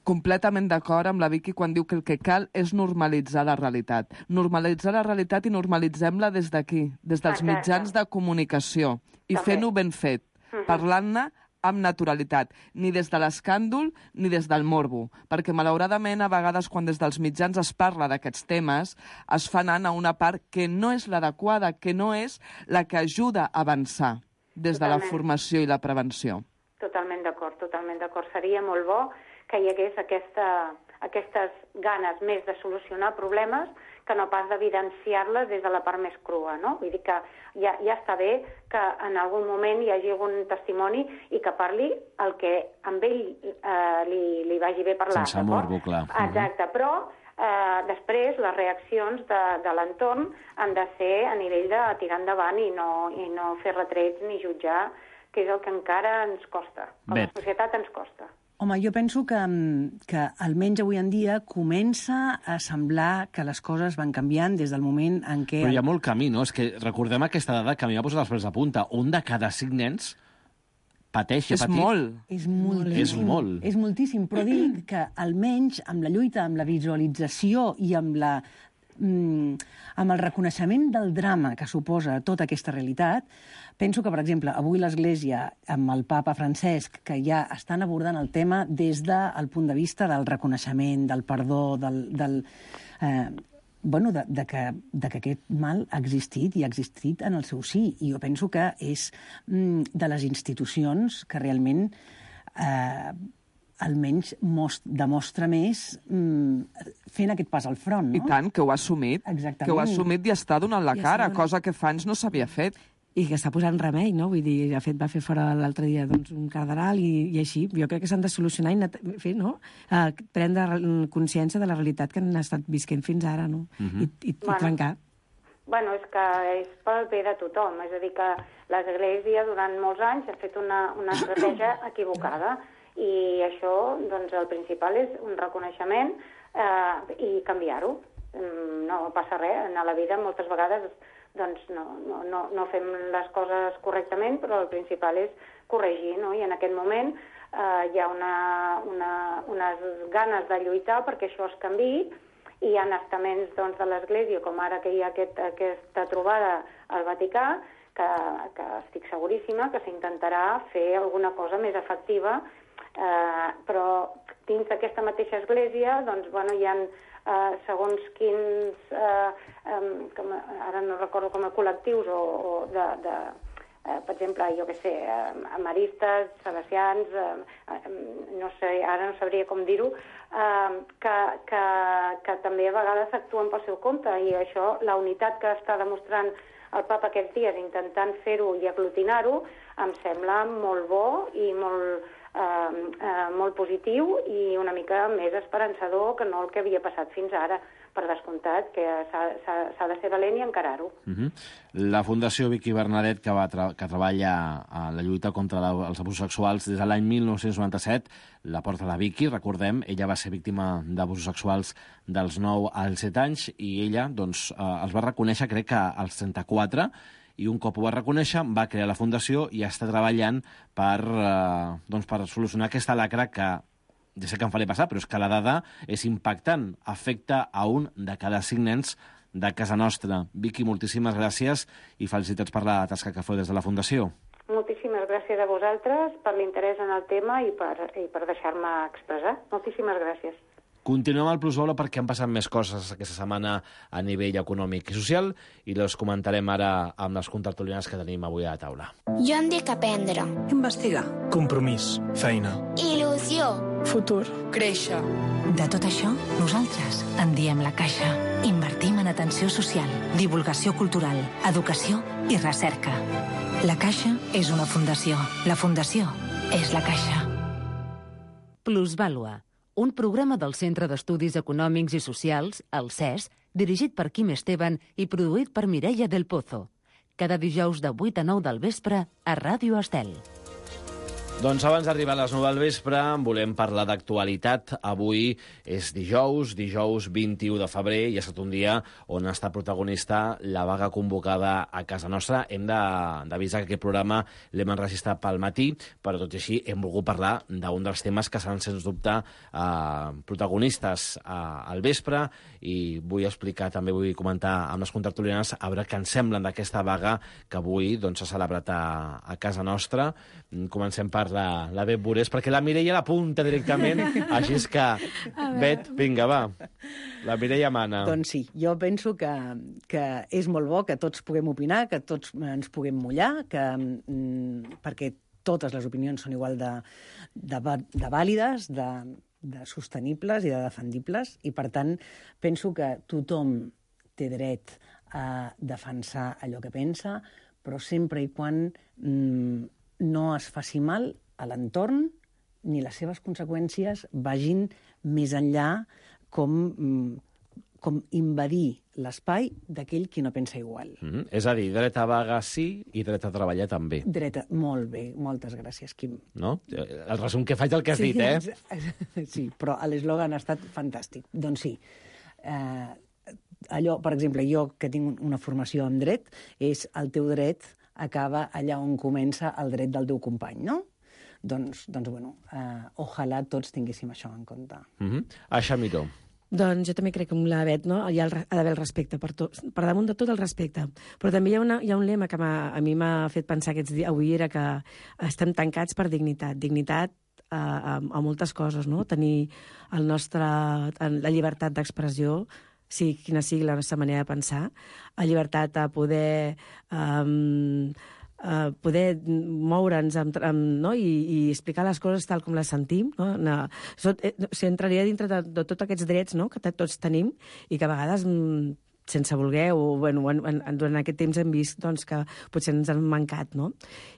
Completament d'acord amb la Vicky quan diu que el que cal és normalitzar la realitat. Normalitzar la realitat i normalitzem-la des d'aquí, des dels mitjans de comunicació, i fent-ho ben fet, parlant-ne amb naturalitat, ni des de l'escàndol ni des del morbo, perquè malauradament a vegades quan des dels mitjans es parla d'aquests temes es fa anant a una part que no és l'adequada, que no és la que ajuda a avançar des de la formació i la prevenció. Totalment d'acord, totalment d'acord. Seria molt bo que hi hagués aquestes ganes més de solucionar problemes que no pas d'evidenciar-les des de la part més crua, no? Vull dir que ja està bé que en algun moment hi hagi algun testimoni i que parli el que amb ell li vagi bé parlar. Sense morbo, clar. Exacte, però després les reaccions de l'entorn han de ser a nivell de tirar endavant i no fer retrets ni jutjar, que és el que encara ens costa. Com a societat ens costa. Home, jo penso que almenys avui en dia comença a semblar que les coses van canviant des del moment en què... Però hi ha molt camí, no? És que recordem aquesta dada que a mi m'ha posat els pèls de punta. Un de cada 5 nens pateix i ha patit. És molt. És molt. És moltíssim, però dic que almenys amb la lluita, amb la visualització i amb el reconeixement del drama que suposa tota aquesta realitat, penso que, per exemple, avui l'Església, amb el papa Francesc, que ja estan abordant el tema des del punt de vista del reconeixement, del perdó, de que aquest mal ha existit i ha existit en el seu sí. I jo penso que és de les institucions que realment almenys demostra més fent aquest pas al front, no? I tant, que ho ha assumit. Exactament. Que ho ha assumit i està donant la cara, cosa que fa anys no s'havia fet. I que està posant remei, no? Vull dir, de fet, va fer fora l'altre dia un cardenal i així. Jo crec que s'han de solucionar i fer, no? Prendre consciència de la realitat que han estat visquent fins ara, no? I trencar. Bueno, és que és pel bé de tothom. És a dir, que l'Església durant molts anys ha fet una estratègia equivocada i això, doncs, el principal és un reconeixement i canviar-ho. No passa res. En la vida moltes vegades doncs no fem les coses correctament, però el principal és corregir, no? I en aquest moment hi ha unes ganes de lluitar perquè això es canviï, i hi ha estaments doncs, de l'Església, com ara que hi ha aquesta trobada al Vaticà, que estic seguríssima que s'intentarà fer alguna cosa més efectiva, però dins d'aquesta mateixa Església doncs, bueno, hi ha segons quins, ara no recordo com a col·lectius o per exemple, jo què sé, maristes, salesians, no sé, ara no sabria com dir-ho, que també a vegades actuen pel seu compte, i això, la unitat que està demostrant el papa aquests dies intentant fer-ho i aglutinar-ho, em sembla molt bo i molt positiu i una mica més esperançador que no el que havia passat fins ara, per descomptat, que s'ha de ser valent i encarar-ho. La Fundació Vicky Bernadet, que treballa a la lluita contra els abusos sexuals des de l'any 1997, la porta la Vicky, recordem, ella va ser víctima d'abusos sexuals dels 9 als 7 anys i ella doncs, els va reconèixer, crec que als 34, i un cop ho va reconèixer va crear la Fundació i està treballant per solucionar aquesta lacra que ja sé que em faré passar, però és que la dada és impactant. Afecta a un de cada 5 nens de casa nostra. Vicky, moltíssimes gràcies i felicitats per la tasca que feu des de la Fundació. Moltíssimes gràcies a vosaltres per l'interès en el tema i per deixar-me expressar. Moltíssimes gràcies. Continuem al Plusvalor perquè han passat més coses aquesta setmana a nivell econòmic i social i les comentarem ara amb les contertulianes que tenim avui a la taula. Jo em dic aprendre. Investigar. Compromís. Feina. Il·lusió. Futur. Créixer. De tot això, nosaltres en diem la Caixa. Invertim en atenció social, divulgació cultural, educació i recerca. La Caixa és una fundació. La fundació és la Caixa. Plusvàlua, un programa del Centre d'Estudis Econòmics i Socials, el CES, dirigit per Quim Esteban i produït per Mireia del Pozo. Cada dijous de 8 a 9 del vespre a Ràdio Estel. Doncs abans d'arribar a les 9 del vespre volem parlar d'actualitat. Avui és dijous 21 de febrer, i ha estat un dia on ha estat protagonista la vaga convocada a casa nostra. Hem d'avisar que aquest programa l'hem enregistrat pel matí, però tot i així hem volgut parlar d'un dels temes que seran, sens dubte, protagonistes al vespre, i vull explicar, també vull comentar amb les contertulianes a veure què ens semblen d'aquesta vaga que avui s'ha celebrat a casa nostra. Comencem per la Bet Burés, perquè la Mireia l'apunta directament, així és que, Bet, vinga, va, la Mireia mana. Doncs sí, jo penso que és molt bo que tots puguem opinar, que tots ens puguem mullar, perquè totes les opinions són igual de vàlides, de sostenibles i de defendibles, i per tant penso que tothom té dret a defensar allò que pensa, però sempre i quan no es faci mal a l'entorn ni les seves conseqüències vagin més enllà com invadir l'espai d'aquell qui no pensa igual. És a dir, dret a vaga sí i dret a treballar també. Molt bé, moltes gràcies, Quim. No? El resum que faig del que has dit, eh? Sí, però l'eslògan ha estat fantàstic. Doncs sí. Allò, per exemple, jo que tinc una formació en dret, és el teu dret acaba allà on comença el dret del teu company, no? Doncs bueno, ojalà tots tinguéssim això en compte. Aixa Miró. Doncs jo també crec que amb la Bet, no, hi ha d'haver el respecte, per damunt de tot el respecte. Però també hi ha un lema que a mi m'ha fet pensar aquests dies, avui, era que estem tancats per dignitat. Dignitat a moltes coses, no? Tenir la llibertat d'expressió, quina sigui la nostra manera de pensar, la llibertat a poder moure'ns i explicar les coses tal com les sentim. Entraria dintre de tots aquests drets que tots tenim i que a vegades, sense voler, o durant aquest temps hem vist que potser ens han mancat,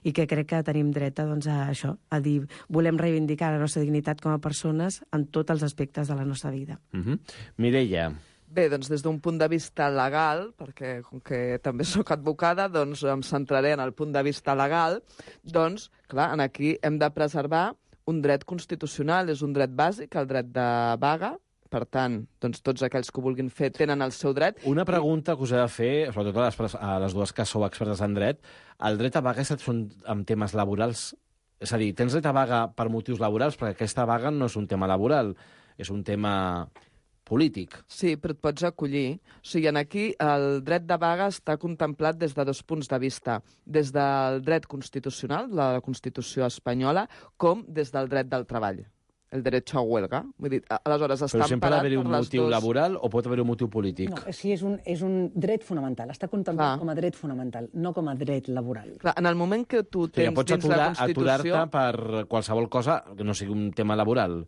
i que crec que tenim dret a això, a dir, volem reivindicar la nostra dignitat com a persones en tots els aspectes de la nostra vida. Mireia. Bé, doncs des d'un punt de vista legal, perquè com que també sóc advocada, doncs em centraré en el punt de vista legal, doncs, clar, aquí hem de preservar un dret constitucional, és un dret bàsic, el dret de vaga, per tant, doncs tots aquells que ho vulguin fer tenen el seu dret. Una pregunta que us he de fer, sobretot a les dues que sou expertes en dret, el dret a vaga és amb temes laborals? És a dir, tens dret a vaga per motius laborals, perquè aquesta vaga no és un tema laboral, és un tema polític. Sí, però et pots acollir. O sigui, aquí el dret de vaga està contemplat des de 2 punts de vista. Des del dret constitucional, la Constitució espanyola, com des del dret del treball. El derecho a huelga. Vull dir, aleshores està però sempre ha d'haver un motiu dos... laboral o pot haver un motiu polític? No, sí, és un dret fonamental. Està contemplat com a dret fonamental, no com a dret laboral. Clar, en el moment que tu tens dins la Constitució... Aturar-te per qualsevol cosa que no sigui un tema laboral.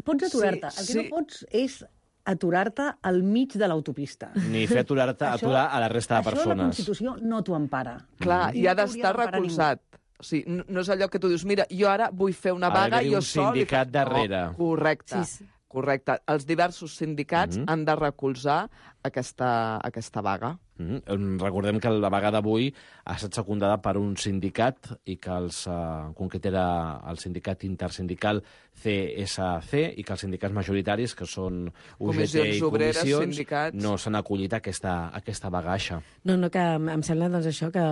Pots aturar-te. El que no pots és aturar-te al mig de l'autopista. Ni fer aturar a la resta de persones. Això la Constitució no t'ho empara. Clar, i ha d'estar recolzat. O sigui, no és allò que tu dius, mira, jo ara vull fer una vaga i jo sol... Ha d'haver un sindicat darrere. Correcte. Correcte. Els diversos sindicats han de recolzar aquesta vaga. Recordem que la vaga d'avui ha estat secundada per un sindicat i que en concret era el sindicat intersindical CSC i que els sindicats majoritaris, que són UGT i Comissions, no s'han acollit a aquesta vagaixa. No, que em sembla doncs, això, que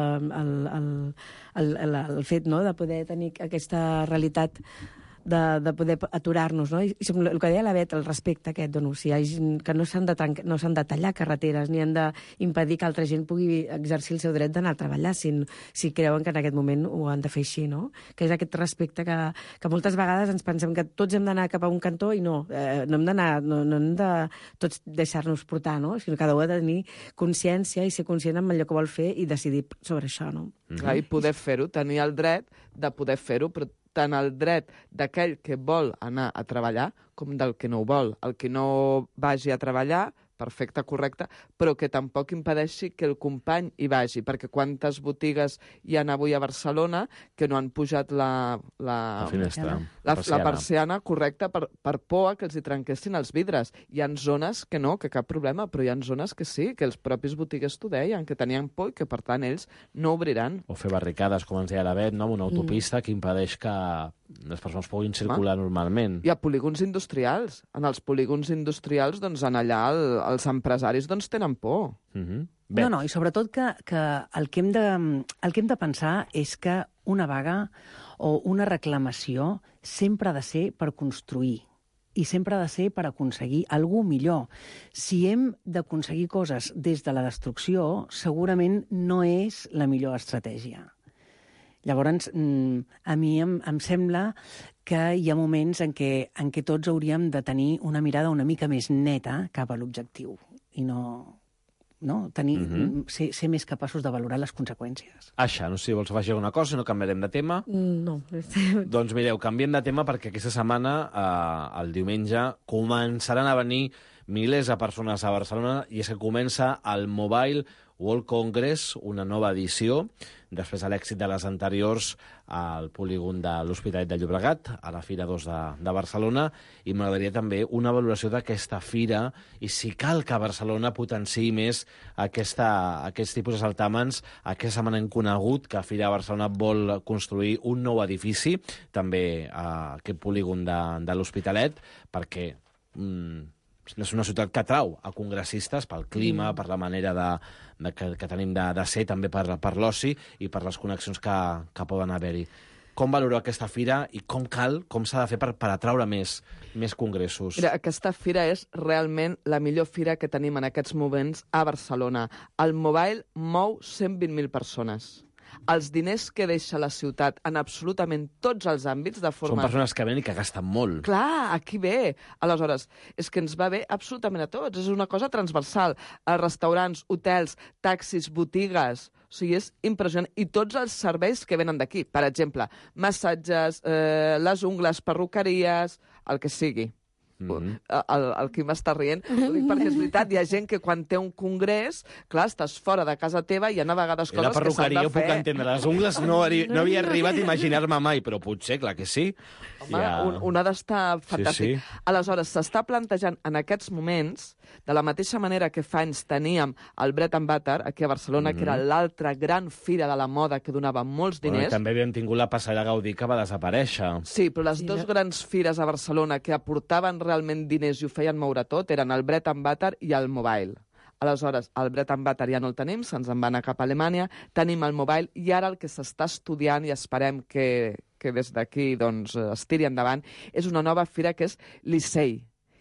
el fet de poder tenir aquesta realitat de poder aturar-nos, no? I el que deia la Bet, el respecte aquest, o sigui, que no s'han de tallar carreteres ni han d'impedir que altra gent pugui exercir el seu dret d'anar a treballar si creuen que en aquest moment ho han de fer així, no? Que és aquest respecte que moltes vegades ens pensem que tots hem d'anar cap a un cantó i no hem de tots deixar-nos portar, no? Sinó que cada un ha de tenir consciència i ser conscient amb allò que vol fer i decidir sobre això, no? Clar, i poder fer-ho, tenir el dret de poder fer-ho, però tant el dret d'aquell que vol anar a treballar com del que no ho vol. El que no vagi a treballar, perfecte, correcte, però que tampoc impedeixi que el company hi vagi, perquè quantes botigues hi ha avui a Barcelona que no han pujat la finestra, la persiana, correcte, per por que els hi trenquessin els vidres. Hi ha zones que no, que cap problema, però hi ha zones que sí, que els propis botiguers t'ho deien, que tenien por i que, per tant, ells no obriran. O fer barricades, com ens deia la Bet, no? Una autopista que impedeix que les persones puguin circular normalment. Hi ha polígons industrials. En els polígons industrials, doncs, en allà els empresaris doncs, tenen por. No, i sobretot que el que hem de pensar és que una vaga o una reclamació sempre ha de ser per construir i sempre ha de ser per aconseguir alguna millor. Si hem d'aconseguir coses des de la destrucció, segurament no és la millor estratègia. Llavors, a mi em sembla que hi ha moments en què tots hauríem de tenir una mirada una mica més neta cap a l'objectiu i ser més capaços de valorar les conseqüències. Aixa, no sé si vols afegir alguna cosa, no canviarem de tema? No. Doncs mireu, canviem de tema perquè aquesta setmana, el diumenge, començaran a venir milers de persones a Barcelona i és que comença el Mobile World Congress, una nova edició, després de l'èxit de les anteriors al polígon de l'Hospitalet de Llobregat, a la Fira 2 de Barcelona, i m'agradaria també una valoració d'aquesta fira i si cal que Barcelona potenciï més aquest tipus de saltàmens. Aquesta setmana hem conegut que Fira Barcelona vol construir un nou edifici, també a aquest polígon de l'Hospitalet, perquè és una ciutat que atrau a congressistes pel clima, per la manera que tenim de ser, també per l'oci i per les connexions que poden haver-hi. Com valoreu aquesta fira i com s'ha de fer per atraure més congressos? Mira, aquesta fira és realment la millor fira que tenim en aquests moments a Barcelona. El Mobile mou 120.000 persones. Els diners que deixa la ciutat en absolutament tots els àmbits de forma... Són persones que venen i que gasten molt. Clar, aquí ve. Aleshores, és que ens va bé absolutament a tots. És una cosa transversal. Restaurants, hotels, taxis, botigues... O sigui, és impressionant. I tots els serveis que venen d'aquí. Per exemple, massatges, les ungles, perruqueries, el que sigui. El Quim està rient, ho dic perquè és veritat, hi ha gent que quan té un congrés, clar, estàs fora de casa teva i hi ha a vegades coses que s'han de fer. La perruqueria ho puc entendre, les ungles no havia arribat a imaginar-me mai, però potser, clar que sí. Home, un ha d'estar fantàstic. Sí. Aleshores, s'està plantejant en aquests moments, de la mateixa manera que fa anys teníem el Bread and Butter, aquí a Barcelona, que era l'altra gran fira de la moda que donava molts diners. També havíem tingut la Passarel·la Gaudí que va desaparèixer. Sí, però les dues grans fires a Barcelona que aportaven realment diners i ho feien moure tot eren el Bread and Butter i el Mobile. Aleshores, el Bread and Butter ja no el tenim, se'ns en va anar cap a Alemanya, tenim el Mobile i ara el que s'està estudiant i esperem que des d'aquí doncs, es tiri endavant és una nova fira que és l'ISEI,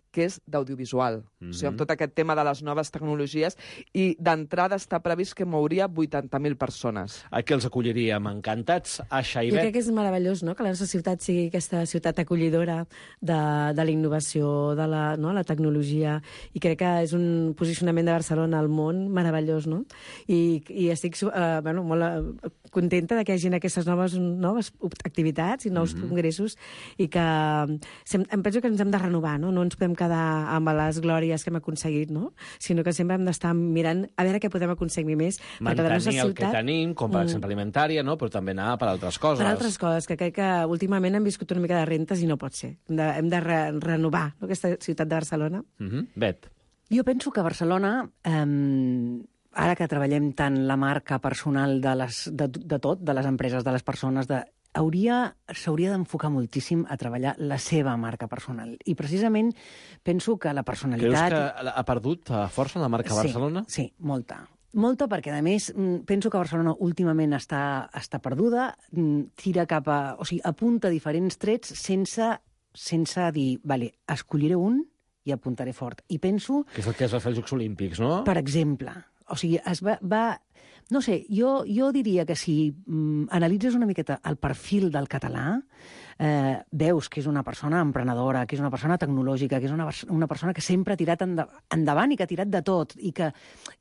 que és d'audiovisual. O sigui, amb tot aquest tema de les noves tecnologies, i d'entrada està previst que mouria 80.000 persones. Aquí els acolliríem encantats. Aixa i Bet. Jo crec que és meravellós, no?, que la nostra ciutat sigui aquesta ciutat acollidora de la innovació, de la tecnologia, i crec que és un posicionament de Barcelona al món meravellós, no? I estic molt contenta de que hi hagi aquestes noves activitats i nous congressos i que em penso que ens hem de renovar, no? No ens podem quedar amb les glòries que hem aconseguit, no? Sinó que sempre hem d'estar mirant a veure què podem aconseguir més. Mantenir el que tenim, com per exemple alimentària, no? Però també anar per altres coses. Per altres coses, que crec que últimament hem viscut una mica de rentes i no pot ser. Hem de renovar aquesta ciutat de Barcelona. Bet. Jo penso que Barcelona, ara que treballem tant la marca personal de tot, de les empreses, de les persones, s'hauria d'enfocar moltíssim a treballar la seva marca personal. I precisament penso que la personalitat... Creus que ha perdut força la marca Barcelona? Sí, molta. Molta, perquè, a més, penso que Barcelona últimament està perduda, tira cap a... O sigui, apunta diferents trets sense dir, vale, escolliré un i apuntaré fort. I penso... Que és el que es va fer als Jocs Olímpics, no? Per exemple. O sigui, no sé, jo diria que si analitzes una miqueta el perfil del català, veus que és una persona emprenedora, que és una persona tecnològica, que és una persona que sempre ha tirat endavant i que ha tirat de tot, i que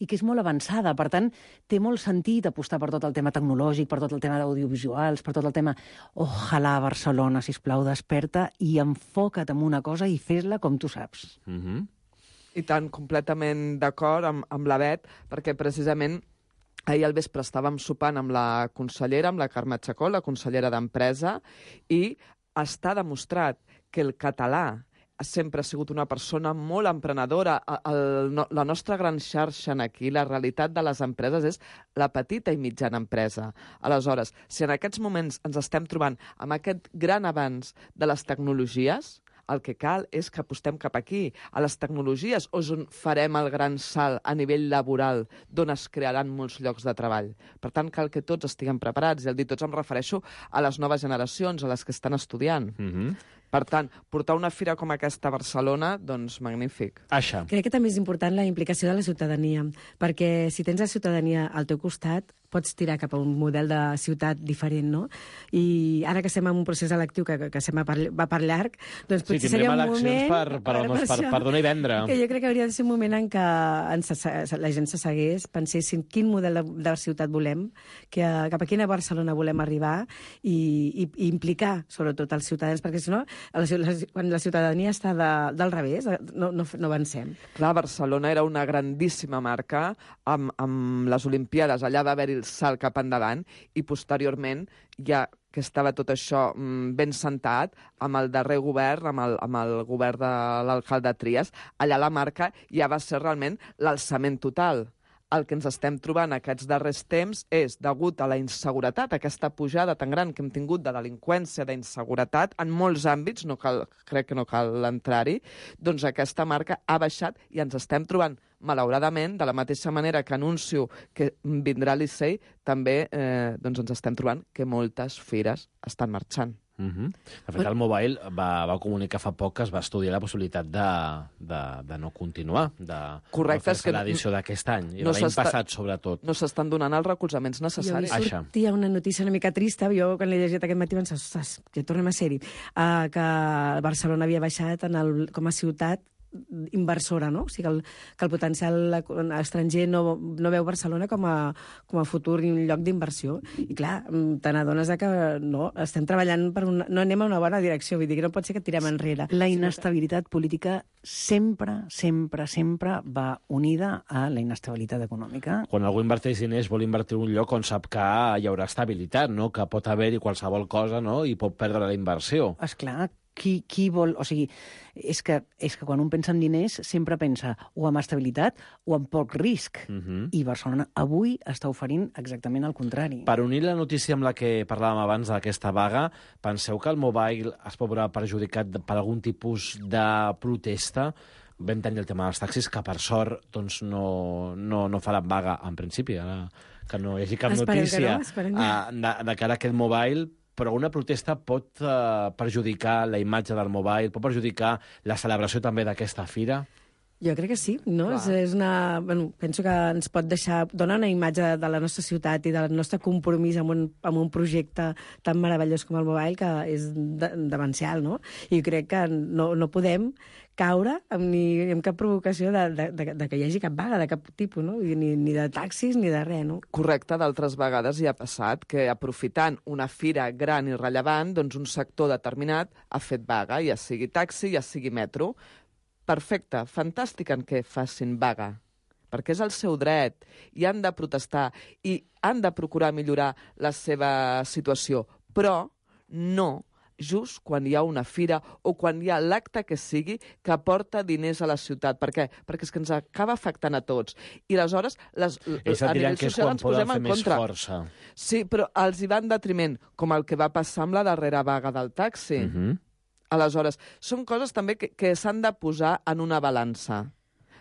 és molt avançada. Per tant, té molt sentit apostar per tot el tema tecnològic, per tot el tema d'audiovisuals, per tot el tema... Ojalà Barcelona, sisplau, desperta i enfoca't en una cosa i fes-la com tu saps. I tant, completament d'acord amb la Bet, perquè precisament ahir al vespre estàvem sopant amb la consellera, amb la Carme Chacón, la consellera d'Empresa, i està demostrat que el català sempre ha sigut una persona molt emprenedora. La nostra gran xarxa aquí, la realitat de les empreses és la petita i mitjana empresa. Aleshores, si en aquests moments ens estem trobant amb aquest gran avanç de les tecnologies, el que cal és que apostem cap aquí, a les tecnologies, on farem el gran salt a nivell laboral, d'on es crearan molts llocs de treball. Per tant, cal que tots estiguem preparats, i al dir tots em refereixo a les noves generacions, a les que estan estudiant. Per tant, portar una fira com aquesta a Barcelona, doncs magnífic. Aixa. Crec que també és important la implicació de la ciutadania, perquè si tens la ciutadania al teu costat, pots tirar cap a un model de ciutat diferent, no? I ara que estem en un procés electiu que va per llarg, doncs potser seria un moment... per donar i vendre. Que jo crec que hauria de ser un moment en què la gent s'assegués, pensessin quin model de ciutat volem, cap a quina Barcelona volem arribar i implicar, sobretot, els ciutadans, perquè si no, quan la ciutadania està del revés, no avancem. Clar, Barcelona era una grandíssima marca amb les Olimpiades. Allà va haver-hi el salt cap endavant i posteriorment ja que estava tot això ben sentat amb el darrer govern, amb el govern de l'alcalde Trias, allà la marca ja va ser realment l'alçament total. El que ens estem trobant aquests darrers temps és, degut a la inseguretat, aquesta pujada tan gran que hem tingut de delinqüència, d'inseguretat, en molts àmbits, crec que no cal entrar-hi, doncs aquesta marca ha baixat i ens estem trobant, malauradament, de la mateixa manera que anuncio que vindrà a Licey, també ens estem trobant que moltes fires estan marxant. De fet, el Mobile va comunicar fa poc que es va estudiar la possibilitat de no continuar, de fer l'edició d'aquest any, i l'any passat, sobretot. No s'estan donant els recolzaments necessaris. Jo sortia una notícia una mica trista, jo quan l'he llegit aquest matí vaig pensar, ostres, ja tornem a ser-hi, que Barcelona havia baixat com a ciutat inversora, no? O sigui, que el potencial estranger no veu Barcelona com a futur i un lloc d'inversió. I clar, te n'adones que no, estem treballant no anem a una bona direcció, vull dir que no pot ser que tirem enrere. La inestabilitat política sempre va unida a la inestabilitat econòmica. Quan algú inverteix diners vol invertir en un lloc on sap que hi haurà estabilitat, no? Que pot haver-hi qualsevol cosa, no? I pot perdre la inversió. Esclar, qui vol... O sigui, és que quan un pensa en diners sempre pensa o amb estabilitat o amb poc risc. I Barcelona avui està oferint exactament el contrari. Per unir la notícia amb la que parlàvem abans d'aquesta vaga, penseu que el Mobile es pot veure perjudicat per algun tipus de protesta? Vam tenir el tema dels taxis, que per sort doncs, no faran vaga en principi, ara que no hi hagi cap notícia de cara a aquest Mobile, però una protesta pot perjudicar la imatge del Mobile, pot perjudicar la celebració també d'aquesta fira? Jo crec que sí, no? És una... Bueno, penso que ens pot deixar... Dona una imatge de la nostra ciutat i del nostre compromís amb un projecte tan meravellós com el Mobile, que és demencial, no? I crec que no podem caure ni amb cap provocació de que hi hagi cap vaga de cap tipus, no? Ni de taxis ni de res, no? Correcte, d'altres vegades hi ha passat que, aprofitant una fira gran i rellevant, doncs un sector determinat ha fet vaga, ja sigui taxi, ja sigui metro. Perfecte, fantàstic en què facin vaga, perquè és el seu dret i han de protestar i han de procurar millorar la seva situació, però no just quan hi ha una fira o quan hi ha l'acte que sigui que aporta diners a la ciutat. Per què? Perquè és que ens acaba afectant a tots. I aleshores, a nivell social ens posem en contra. Sí, però els hi va en detriment, com el que va passar amb la darrera vaga del taxi. Aleshores, són coses també que s'han de posar en una balança,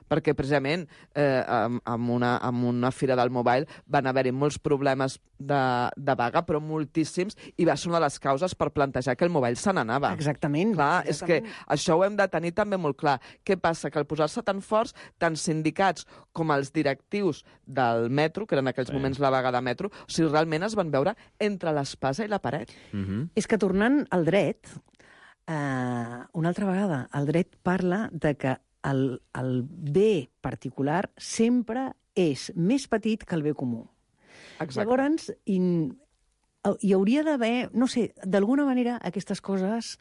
perquè precisament amb una fira del Mobile van haver-hi molts problemes de vaga, però moltíssims, i va ser una de les causes per plantejar que el Mobile se n'anava. Exactament. Clar, és que això ho hem de tenir també molt clar. Què passa? Que al posar-se tan forts, tant sindicats com els directius del metro, que eren en aquells moments la vaga de metro, o sigui, realment es van veure entre l'espasa i la paret. És que tornant al dret, una altra vegada, el dret parla de que el bé particular sempre és més petit que el bé comú. Exacte. Llavors, hi hauria d'haver, no sé, d'alguna manera aquestes coses,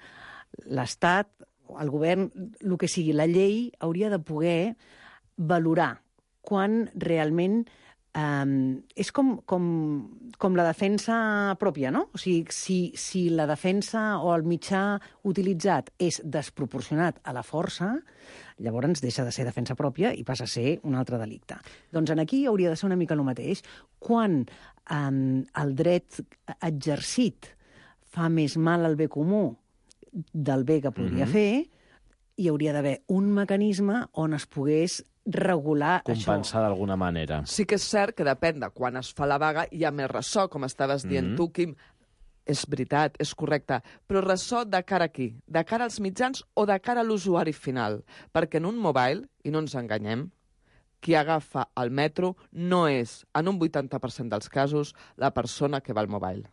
l'Estat, el govern, el que sigui, la llei, hauria de poder valorar quan realment és com la defensa pròpia, no? O sigui, si la defensa o el mitjà utilitzat és desproporcionat a la força, llavors deixa de ser defensa pròpia i passa a ser un altre delicte. Doncs aquí hauria de ser una mica el mateix. Quan el dret exercit fa més mal al bé comú del bé que podria fer, hi hauria d'haver un mecanisme on es pogués regular compensar d'alguna manera. Sí que és cert que depèn de quan es fa la vaga, hi ha més ressò, com estaves dient tu, Quim. És veritat, és correcte. Però ressò de cara a qui? De cara als mitjans o de cara a l'usuari final? Perquè en un Mobile, i no ens enganyem, qui agafa el metro no és, en un 80% dels casos, la persona que va al Mobile.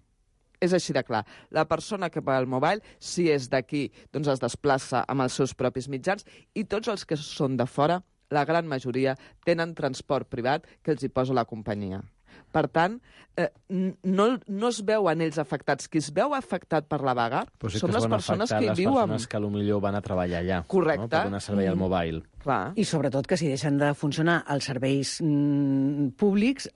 És així de clar. La persona que va al Mobile, si és d'aquí, doncs es desplaça amb els seus propis mitjans, i tots els que són de fora, la gran majoria, tenen transport privat que els hi posa la companyia. Per tant, no es veuen ells afectats. Qui es veu afectat per la vaga són les persones que hi viuen. Les persones que potser van a treballar allà. Correcte. No? Per donar servei al Mobile. Clar. I sobretot que si deixen de funcionar els serveis públics,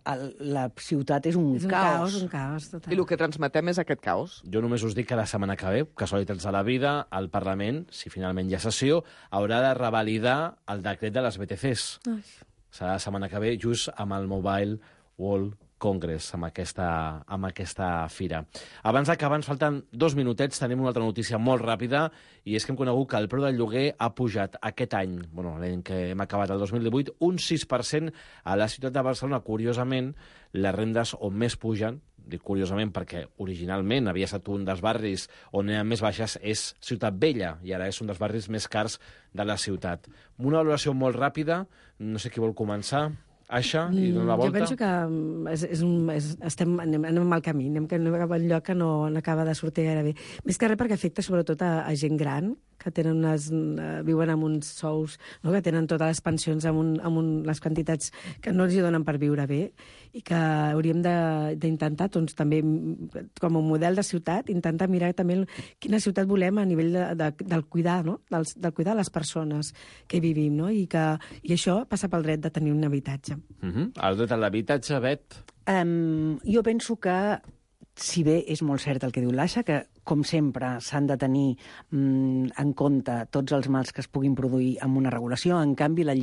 la ciutat és un caos. Un caos, total. I el que transmetem és aquest caos. Jo només us dic que la setmana que ve, casualitats de la vida, el Parlament, si finalment hi ha sessió, haurà de revalidar el decret de les BTCs. Serà la setmana que ve, just amb el Mobile World Congress, amb aquesta fira. Abans d'acabar, ens falten 2 minutets, tenim una altra notícia molt ràpida, i és que hem conegut que el preu del lloguer ha pujat aquest any, l'any que hem acabat, el 2018, un 6% a la ciutat de Barcelona. Curiosament, les rendes on més pugen, dic curiosament perquè originalment havia estat un dels barris on eren més baixes, és Ciutat Vella, i ara és un dels barris més cars de la ciutat. Una valoració molt ràpida, no sé qui vol començar. Aixa, i donar la volta? Jo penso que anem en mal camí, anem cap a un lloc que no acaba de sortir gaire bé. Més que res perquè afecta sobretot a gent gran, que tenen viuen amb uns sous, no? Que tenen totes les pensions amb les quantitats que no els hi donen per viure bé, i que hauríem d'intentar, doncs, també, com a model de ciutat, intentar mirar també quina ciutat volem a nivell del cuidar, no? Del cuidar les persones que vivim, no? I això passa pel dret de tenir un habitatge. El dret a l'habitatge, Bet? Jo penso que, si bé és molt cert el que diu l'Aixa, que, com sempre, s'han de tenir en compte tots els mals que es puguin produir amb una regulació, en canvi, la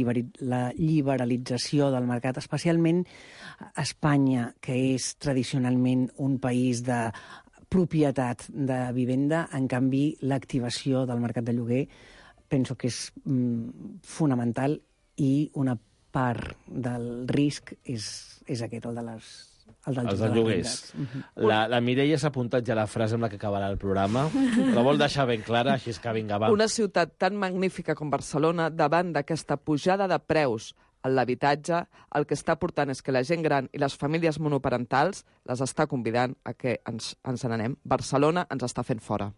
liberalització del mercat, especialment Espanya, que és tradicionalment un país de propietat de vivenda, en canvi, l'activació del mercat de lloguer penso que és fonamental, i una part del risc és aquest, el de les El Els dels lloguers. La Mireia s'ha apuntat ja la frase amb la que acabarà el programa. La vol deixar ben clara, així que vinga, va. Una ciutat tan magnífica com Barcelona, davant d'aquesta pujada de preus en l'habitatge, el que està portant és que la gent gran i les famílies monoparentals les està convidant a que ens n'anem. Barcelona ens està fent fora.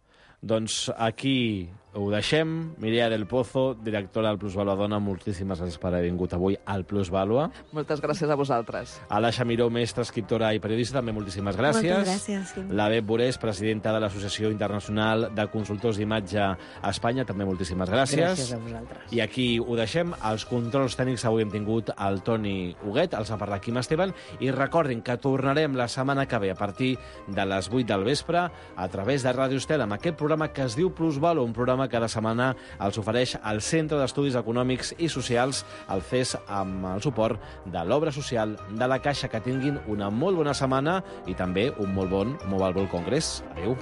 Doncs aquí ho deixem. Mireia del Pozo, directora del Plusvalua Dona, moltíssimes gràcies per haver vingut avui al Plusvalua. Moltes gràcies a vosaltres. Alaixa Miró, mestra, escriptora i periodista, també moltíssimes gràcies. Moltes gràcies. Sí. La Bet Borés, presidenta de l'Associació Internacional de Consultors d'Imatge a Espanya, també moltíssimes gràcies. Gràcies a vosaltres. I aquí ho deixem. Els controls tècnics avui hem tingut el Toni Huguet, els ha parlat Quim Esteban, i recordin que tornarem la setmana que ve a partir de les 8 del vespre a través de Ràdio Estel amb aquest programa que es diu Plusvalua, un programa que cada setmana els ofereix el Centre d'Estudis Econòmics i Socials, el CES, amb el suport de l'Obra Social de la Caixa. Que tinguin una molt bona setmana i també un molt bon Mobile World Congress. Adéu.